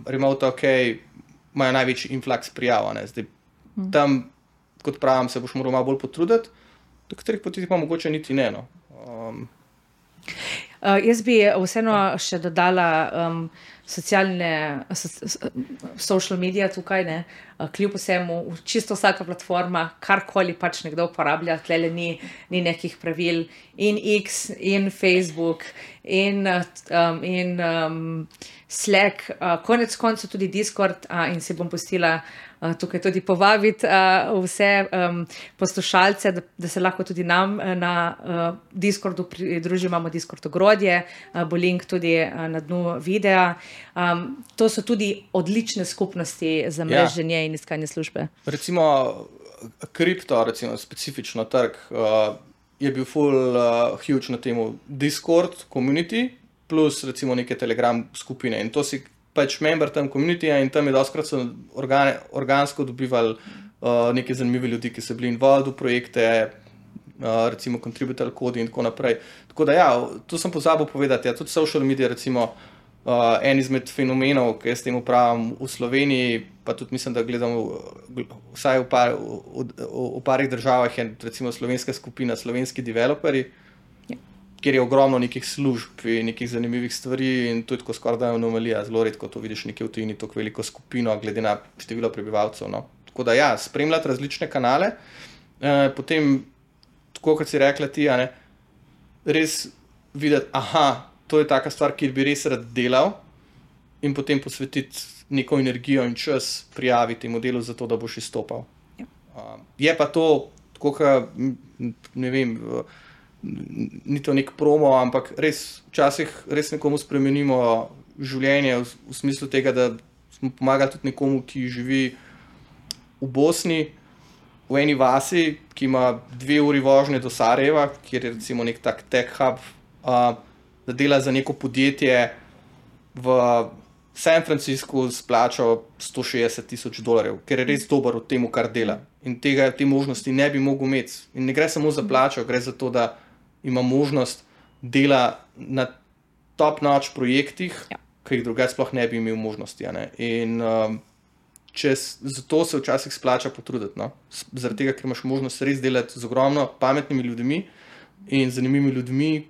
Speaker 2: Remote OK, imajo največji influx prijav. Zdaj, tam, kot pravim, se boš moral malo bolj potruditi, do katerih poti pa mogoče niti ne. No.
Speaker 1: Jaz bi vseeno še dodala social media tukaj, ne, kljub vsemu, čisto vsaka platforma, karkoli pač nekdo uporablja, tlele ni nekih pravil, in X, in Facebook, in Slack, konec koncev tudi Discord, in si bom pustila tukaj tudi povabiti vse poslušalce, da se lahko tudi nam na Discordu pridružimo, imamo Discord ogrodje, bo link tudi na dnu videa. To so tudi odlične skupnosti za mreženje in iskanje službe.
Speaker 2: Recimo kripto, recimo specifično trg, je bil huge na temu Discord community, plus recimo neke Telegram skupine in to si pač member tam communityja in tam je dostkrat so organsko dobivali neke zanimive ljudi, ki so bili involved v projekte, recimo contributor kodi in tako naprej. Tako da ja, to sem pozabil povedati, ja, tudi social media recimo en izmed fenomenov, ki jaz temu pravim v Sloveniji, pa tudi mislim, da gledam vsaj v parih državah je recimo slovenska skupina, slovenski developerji, kjer je ogromno nekih služb in nekih zanimivih stvari in to je tako skoraj da anomalija, zelo redko to vidiš nekje v tujini, tako veliko skupino, glede na število prebivalcev. No. Tako da ja, spremljati različne kanale, potem, tako kot si rekla ti, ne, res videti, to je taka stvar, kjer bi res rad delal in potem posvetiti neko energijo in čas prijaviti modelu za to, da boš izstopal. Ja. Je pa to, tako kot, ne vem, ni to nek promo, ampak res včasih res nekomu spremenimo življenje v smislu tega, da smo pomagali tudi nekomu, ki živi v Bosni, v eni vasi, ki ima 2 uri vožnje do Sarajeva, kjer je recimo nek tak tech hub, da dela za neko podjetje v San Franciscu s plačo $160,000, ker je res dober v tem, kar dela. In te možnosti ne bi mogel imeti. In ne gre samo za plačo, gre za to, da ima možnost dela na top-notch projektih, ki jih drugače sploh ne bi imel možnosti. Ne? In zato se včasih splača potruditi. No? Zaradi tega, ker imaš možnost res delati z ogromno pametnimi ljudmi in zanimivimi ljudmi,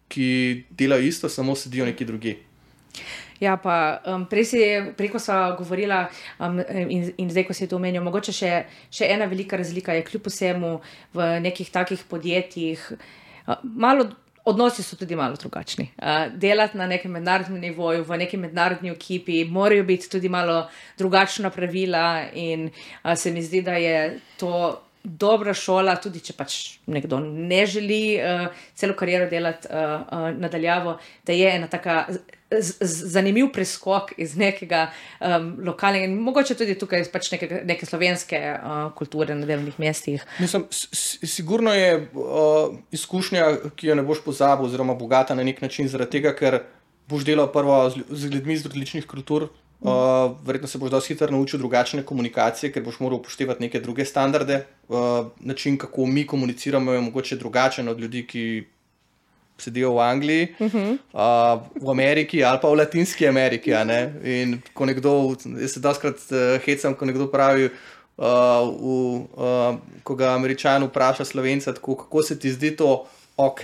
Speaker 2: ki delajo isto, samo sedijo neki drugi.
Speaker 1: Ja, pa preko sva govorila in zdaj, ko si to omenil, mogoče še ena velika razlika je kljub vsemu v nekih takih podjetjih, odnosi so tudi malo drugačni. Delati na nekem mednarodnem nivoju, v neki mednarodni ekipi, morajo biti tudi malo drugačna pravila in se mi zdi, da je to dobra šola, tudi če pač nekdo ne želi celo kariero delati nadaljavo, da je ena taka zanimiv preskok iz nekega lokalnega in mogoče tudi tukaj pač neke slovenske kulture na delovnih mestih.
Speaker 2: Mislim, sigurno je izkušnja, ki jo ne boš pozabil oziroma bogata na nek način zaradi tega, ker boš delal prvo z ljudmi iz različnih kultur, verjetno se boš dosti hitro naučil drugačne komunikacije, ker boš moral upoštevati neke druge standarde, način, kako mi komuniciramo, je mogoče drugačen od ljudi, ki sedijo v Angliji, v Ameriki ali pa v Latinski Ameriki. In ko nekdo, jaz se dostikrat hecam, ko nekdo pravi, ko ga Američan vpraša Slovenca, tako, kako se ti zdi to ok,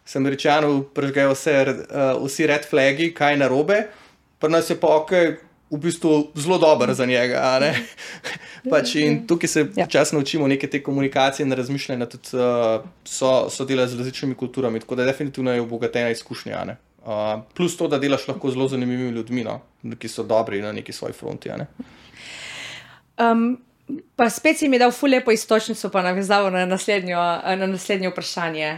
Speaker 2: se Američanu prežgejo vsi red flagi, kaj narobe, pa nas je pa ok, v bistvu zelo dober za njega. Pač in tukaj se včasih naučimo neke te komunikacije in razmišljanja, tudi so delali z različnimi kulturami, tako da definitivno je obogatena izkušnja. Plus to, da delaš lahko zelo zanimivimi ljudmi, no, ki so dobri na neki svoji fronti.
Speaker 1: Pa spet si mi dal ful lepo istočnico, pa navezavo na naslednje vprašanje.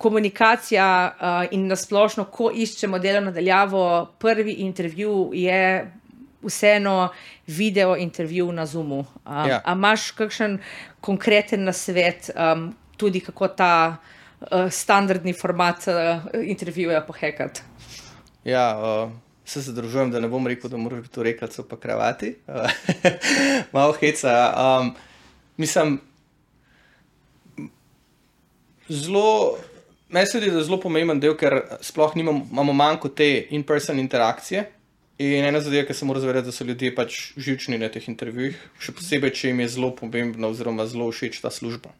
Speaker 1: komunikacija in nasplošno, ko iščemo delo nadaljavo, prvi intervju je vseeno video intervju na Zoomu. A imaš kakšen konkreten nasvet, tudi kako ta standardni format intervjuja pohekati?
Speaker 2: Ja, se zadržujem, da ne bom rekel, da moraš biti v rekelcu pa kravati. Malo heca. Mislim, meni se zdi, da je zelo pomemben del, ker sploh imamo manjko te in-person interakcije. In ena zadeva, ki se mora zavedati, da so ljudje pač živčni na teh intervjujih, še posebej, če jim je zelo pomembna oziroma zelo všeč ta služba.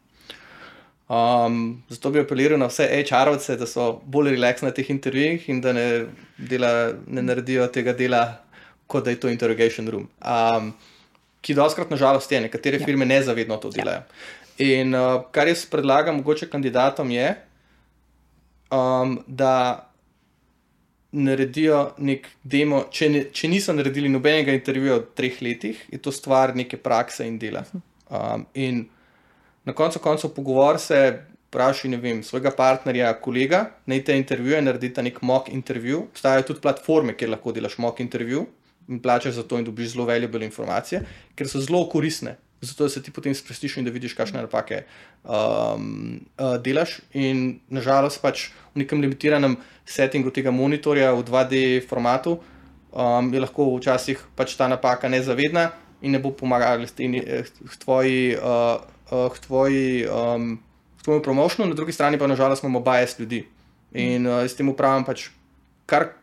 Speaker 2: Zato bi apeliral na vse HR-ovce, da so bolj relax na teh intervjujih in da ne naredijo tega dela, kot da je to interrogation room. Ki dostakrat nažalost je, nekatere firme nezavedno to delajo. In kar jaz predlagam mogoče kandidatom je, da naredijo nek demo, če niso naredili nobenega intervjuja v 3 letih, je to stvar neke prakse in dela. In na koncu pogovor se vprašaj, ne vem, svojega partnerja, kolega, naj te intervjuje, naredita nek mock intervju. Obstajajo tudi platforme, kjer lahko delaš mock intervju in plačaš za to in dobiš zelo valuable informacije, ker so zelo koristne. Zato da se ti potem sprostiš in da vidiš, kakšne napake delaš. In nažalost pač v nekem limitiranem settingu tega monitorja v 2D formatu je lahko včasih pač ta napaka nezavedna in ne bo pomagala k tvojemu promotionu, na drugi strani pa nažalost imamo bias ljudi. In s tem upravim pač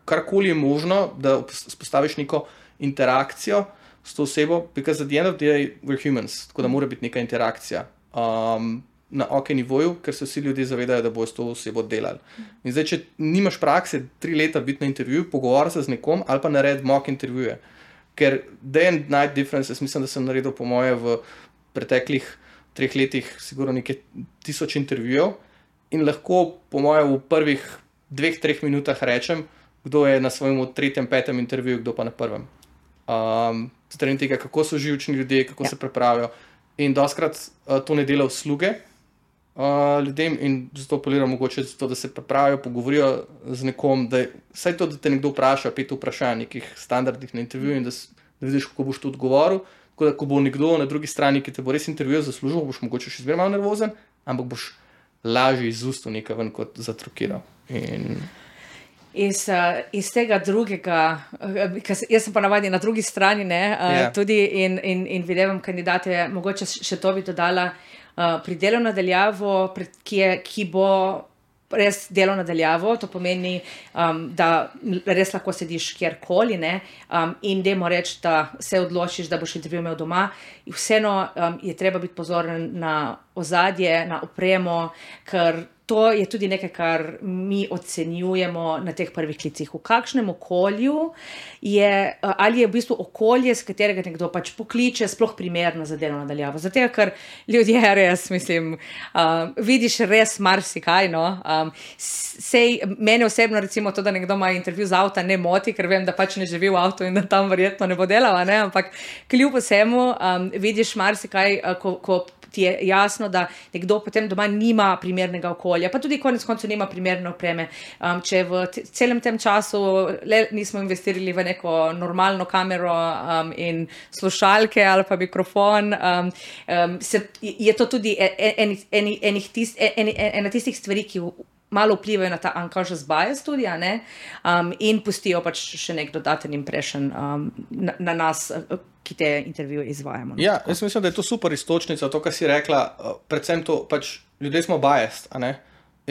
Speaker 2: karkoli je možno, da spostaviš neko interakcijo s to osebo, because at the end of the day we're humans, tako da mora biti neka interakcija na OK nivoju, ker se vsi ljudje zavedajo, da bojo s to osebo delali. In zdaj, če nimaš prakse 3 leta biti na intervjuju, pogovor se z nekom ali pa naredi mock intervjuje. Ker day and night differences, mislim, da sem naredil po moje v preteklih 3 letih sigurno nekaj 1000 intervjujev in lahko po moje v prvih 2-3 minutah rečem, kdo je na svojemu 3., 5. intervjuju, kdo pa na prvem. Strani tega, kako so živčni ljudje, kako se pripravijo. In dostakrat to ne dela usluge ljudem in zato apeliram mogoče zato, da se pripravijo, pogovorijo z nekom, da vsaj to, da te nekdo vpraša, 5 vprašanj nekih standardnih na intervjuju in da vidiš, kako boš to odgovoril. Tako da, ko bo nekdo na drugi strani, ki te bo res intervjujo za službo, boš mogoče še zmeraj malo nervozen, ampak boš lažje iz ustov nekaj ven kot zatrukiral.
Speaker 1: Iz tega drugega, jaz sem pa navadni na drugi strani, tudi in videvam kandidate, mogoče še to bi dodala, pri delu nadaljavo, ki bo res delo nadaljavo, to pomeni, da res lahko sediš kjerkoli, in dajmo reči, da se odločiš, da boš intervju imel doma. Vseeno je treba biti pozoren na ozadje, na opremo, ker to je tudi nekaj, kar mi ocenjujemo na teh prvih klicih. V kakšnem okolju je, ali je v bistvu okolje, s katerega nekdo pač pokliče, sploh primerno za delo nadaljavo. Zato, ker ljudje res, mislim, vidiš res marsikaj, Sej, mene osebno recimo to, da nekdo ima intervju z avta, ne moti, ker vem, da pač ne živi v avtu in da tam verjetno ne bo delala, ampak kljub vsemu vidiš marsikaj, ko ti je jasno, da nekdo potem doma nima primernega okolja, pa tudi konec koncev nima primerne opreme. Če v celem tem času nismo investirali v neko normalno kamero in slušalke ali pa mikrofon, je to tudi ena tistih stvari, ki malo vplivajo na ta unconscious bias tudi, in pustijo pač še nek dodaten impression na nas, ki te intervjuje izvajamo.
Speaker 2: Ja, jaz mislim, da je to super iztočnica, to, kar si rekla, predvsem to, pač ljudje smo biased,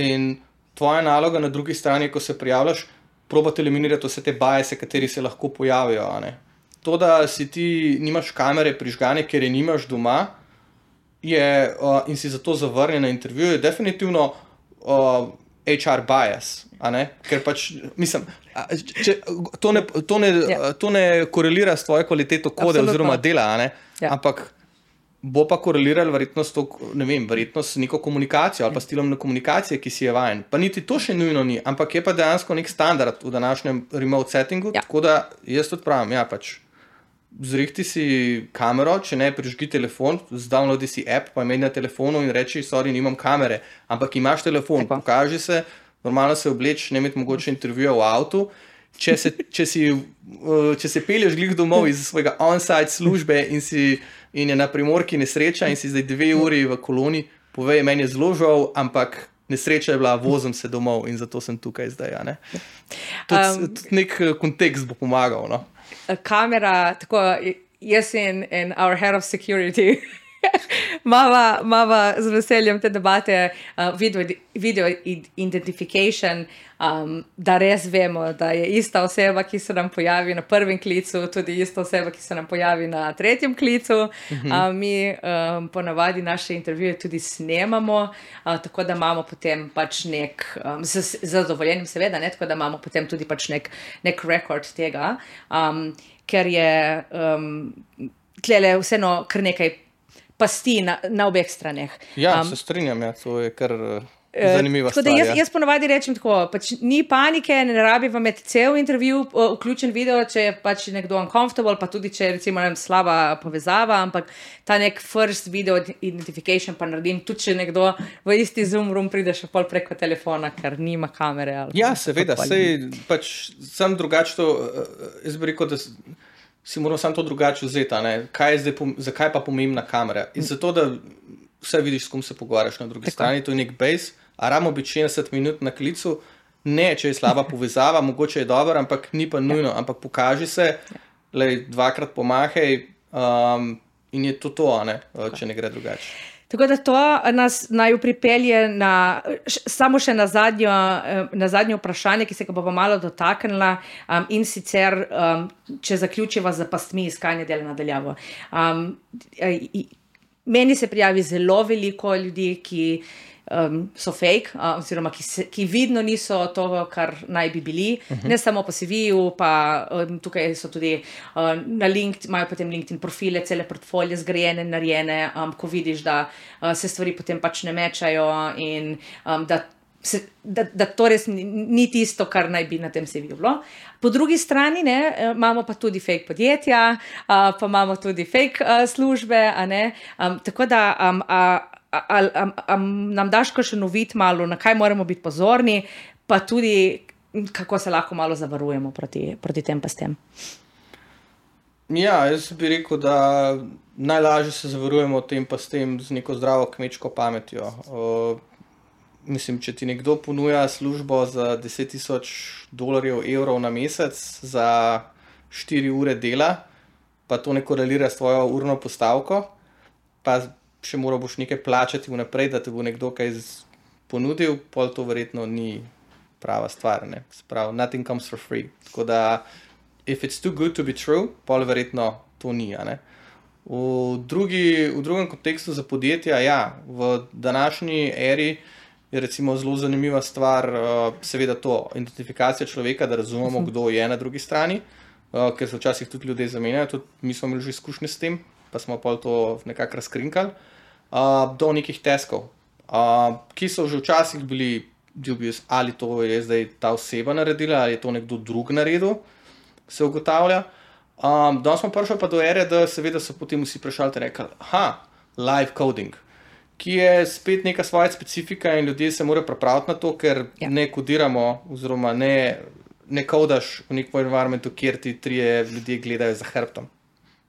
Speaker 2: in tvoja naloga na drugi strani, ko se prijavljaš, probati eliminirati vse te biase, kateri se lahko pojavijo, To, da si ti nimaš kamere prižgane, ker je nimaš doma, in si zato zavrnjen na intervjuju, je definitivno HR bias, ker pač, mislim, to ne korelira s tvojo kvaliteto kode oziroma dela, ampak bo pa koreliralo verjetno s neko komunikacijo ali pa stilom na komunikacije, ki si je vajen. Pa niti to še nujno ni, ampak je pa dejansko nek standard v današnjem remote settingu, tako da jaz tudi pravim, pač zrihti si kamero, če ne, prižgi telefon, downloadi si app, pa imej na telefonu in reči, sorry, nimam kamere, ampak imaš telefon, pokaži se, normalno se obleč, ne imeti mogoče intervjuja v avtu, če se pelješ glih domov iz svojega on-site službe in je na Primorki nesreča in si zdaj 2 uri v koloni, povej, meni je zelo žal, ampak nesreča je bila, vozim se domov in zato sem tukaj zdaj. Ja, ne? Tudi nek kontekst bo pomagal. No?
Speaker 1: Kamera, tako jaz in our head of security mava z veseljem te debate video identification, da res vemo, da je ista oseba, ki se nam pojavi na prvem klicu, tudi ista oseba, ki se nam pojavi na tretjem klicu. Mi ponavadi naše intervjuje tudi snemamo, tako da imamo potem pač nek, z zadovoljenjem seveda, ne, tako da imamo potem tudi pač nek rekord tega, ker je tlele vseeno kar nekaj pasti na obeh straneh.
Speaker 2: Ja, se strinjam, ja, to je kar zanimiva stvar.
Speaker 1: Jaz ponavadi rečem tako, pač ni panike, ne rabi vam imeti cel intervju, vključen video, če je pač nekdo uncomfortable, pa tudi če je recimo slaba povezava, ampak ta nek first video identification pa naredim, tudi če nekdo v isti Zoom room pride še pol preko telefona, ker nima kamere.
Speaker 2: Ja, seveda, sej pač sem drugače to, jaz bi rekel, da si moral sam to drugače vzeti, zakaj pa pomembna kamera? In zato, da vse vidiš, s kom se pogovarjaš na drugi strani, to je nek base, a ramo biti 60 minut na klicu, ne, če je slaba povezava, mogoče je dobro, ampak ni pa nujno, ampak pokaži se, dvakrat pomahaj in je to, ne, če ne gre drugače.
Speaker 1: Tako da to nas naj pripelje samo še na zadnje vprašanje, ki se ga bova malo dotaknila, in sicer, če zaključiva z pastmi iskanja dela nadaljavo. Meni se prijavi zelo veliko ljudi, ki so fake, oziroma ki vidno niso to, kar naj bi bili, ne samo po CV-ju, pa tukaj so tudi na LinkedIn, imajo potem LinkedIn profile, cele portfolije zgrajene, narejene, ko vidiš, da se stvari potem pač ne mečajo in da to res ni tisto, kar naj bi na tem CV-ju bilo. Po drugi strani imamo pa tudi fake podjetja, pa imamo tudi fake službe, tako da nam daš še novit malo, na kaj moramo biti pozorni, pa tudi kako se lahko malo zavarujemo proti tem pastem.
Speaker 2: Ja, jaz bi rekel, da najlažje se zavarujemo tem pastem z neko zdravo kmečko pametjo. Mislim, če ti nekdo ponuja službo za $10,000, evrov na mesec za 4 ure dela, pa to ne korelira s tvojo urno postavko, pa še moral boš nekaj plačati vnaprej, da te bo nekdo kaj ponudil, pol to verjetno ni prava stvar, ne. Sprav, nothing comes for free. Tako da, if it's too good to be true, pol verjetno to ni, ne. V drugem kontekstu za podjetja, ja, v današnji eri je recimo zelo zanimiva stvar, seveda to, identifikacija človeka, da razumemo, kdo je na drugi strani, ker se včasih tudi ljudje zamenjajo, tudi mi smo imeli že izkušnje s tem, pa smo pol to nekako razkrinkali, do nekih teskov, ki so že včasih bili dubious, ali to je zdaj ta oseba naredila, ali je to nekdo drug naredil, se ugotavlja. Danes smo prišli pa do ere, da seveda so potem vsi prešali in rekli, live coding, ki je spet neka svoja specifika in ljudje se morajo pripraviti na to, ker ne kodiramo, oziroma ne kodaš v nekem environmentu, kjer ti 3 ljudje gledajo za hrbtom.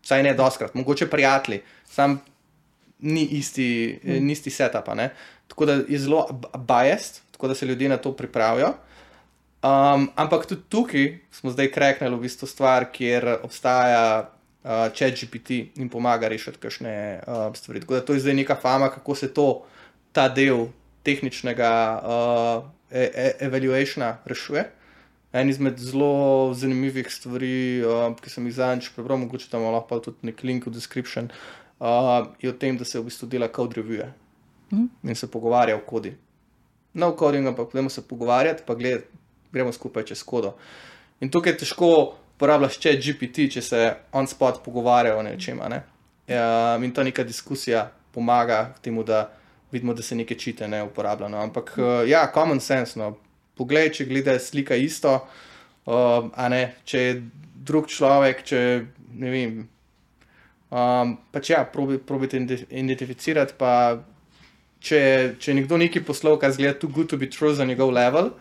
Speaker 2: Vsaj ne dostkrat, mogoče prijatelji, sam ni isti setup, ne. Tako da je zelo biased, tako da se ljudje na to pripravijo. Ampak tudi tukaj smo zdaj kreknili v bistvu stvar, kjer obstaja ChatGPT in pomaga rešiti kakšne stvari. Tako da to je zdaj neka fama, kako se ta del tehničnega evaluationa rešuje. En izmed zelo zanimivih stvari, ki sem jih zadnjič prebral, mogoče tam lahko pa tudi nek link v description, je o tem, da se v bistvu dela code review in se pogovarja o kodi. No coding, ampak podemo se pogovarjati, pa gremo skupaj čez kodo. In tukaj je težko uporabljaš ChatGPT, če se on spot pogovarjajo o nečem, ne. In ta neka diskusija pomaga k temu, da vidimo, da se neke čite ne uporablja, no. Ampak ja, common sense, no. Poglej, če gleda slika isto, če je drug človek, če, ne vem, Pač ja, probite identificirati, pa če je nekdo nekaj poslal, kar zgleda too good to be true za njegov level,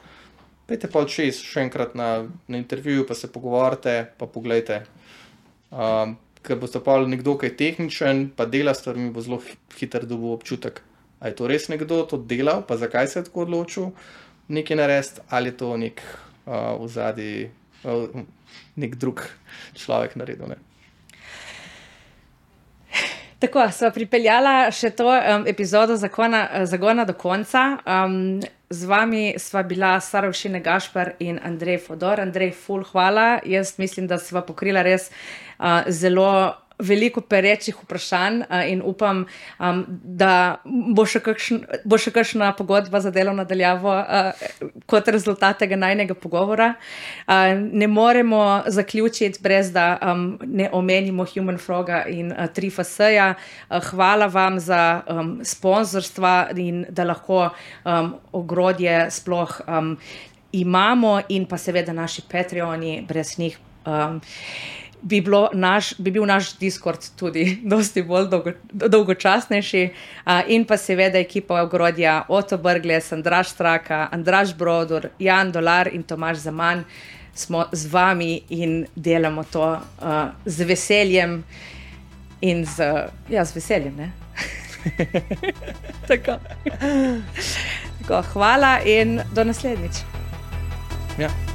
Speaker 2: pejte pa čez še enkrat na intervjuju, pa se pogovorite, pa poglejte. Ker boste pa nekdo, ki je tehničen, pa dela stvarmi, bo zelo hiter dobil občutek, a je to res nekdo to delal, pa zakaj se je tako odločil nekaj narediti, ali je to nek vzadi, nek drug človek naredil, ne.
Speaker 1: Tako, sva pripeljala še to epizodo Zagona do konca. Z vami sva bila Sara Ušine Gašper in Andrej Fodor. Andrej, ful hvala. Jaz mislim, da sva pokrila res zelo veliko perečih vprašanj in upam, da bo še kakšna pogodba za delo nadaljavo kot rezultat tega najnega pogovora. Ne moremo zaključiti brez da ne omenimo Human Froga in 3FS-ja. Hvala vam za sponzorstva in da lahko ogrodje sploh imamo in pa seveda naši Patreoni, brez njih bi bil naš Discord tudi dosti bolj dolgočasnejši in pa seveda ekipa ogrodja Oto Brglez, Andraž Straka, Andraž Brodur, Jan Dolar in Tomaž Zaman smo z vami in delamo to z veseljem in z veseljem, ne? Tako, hvala in do naslednjič.
Speaker 2: Ja.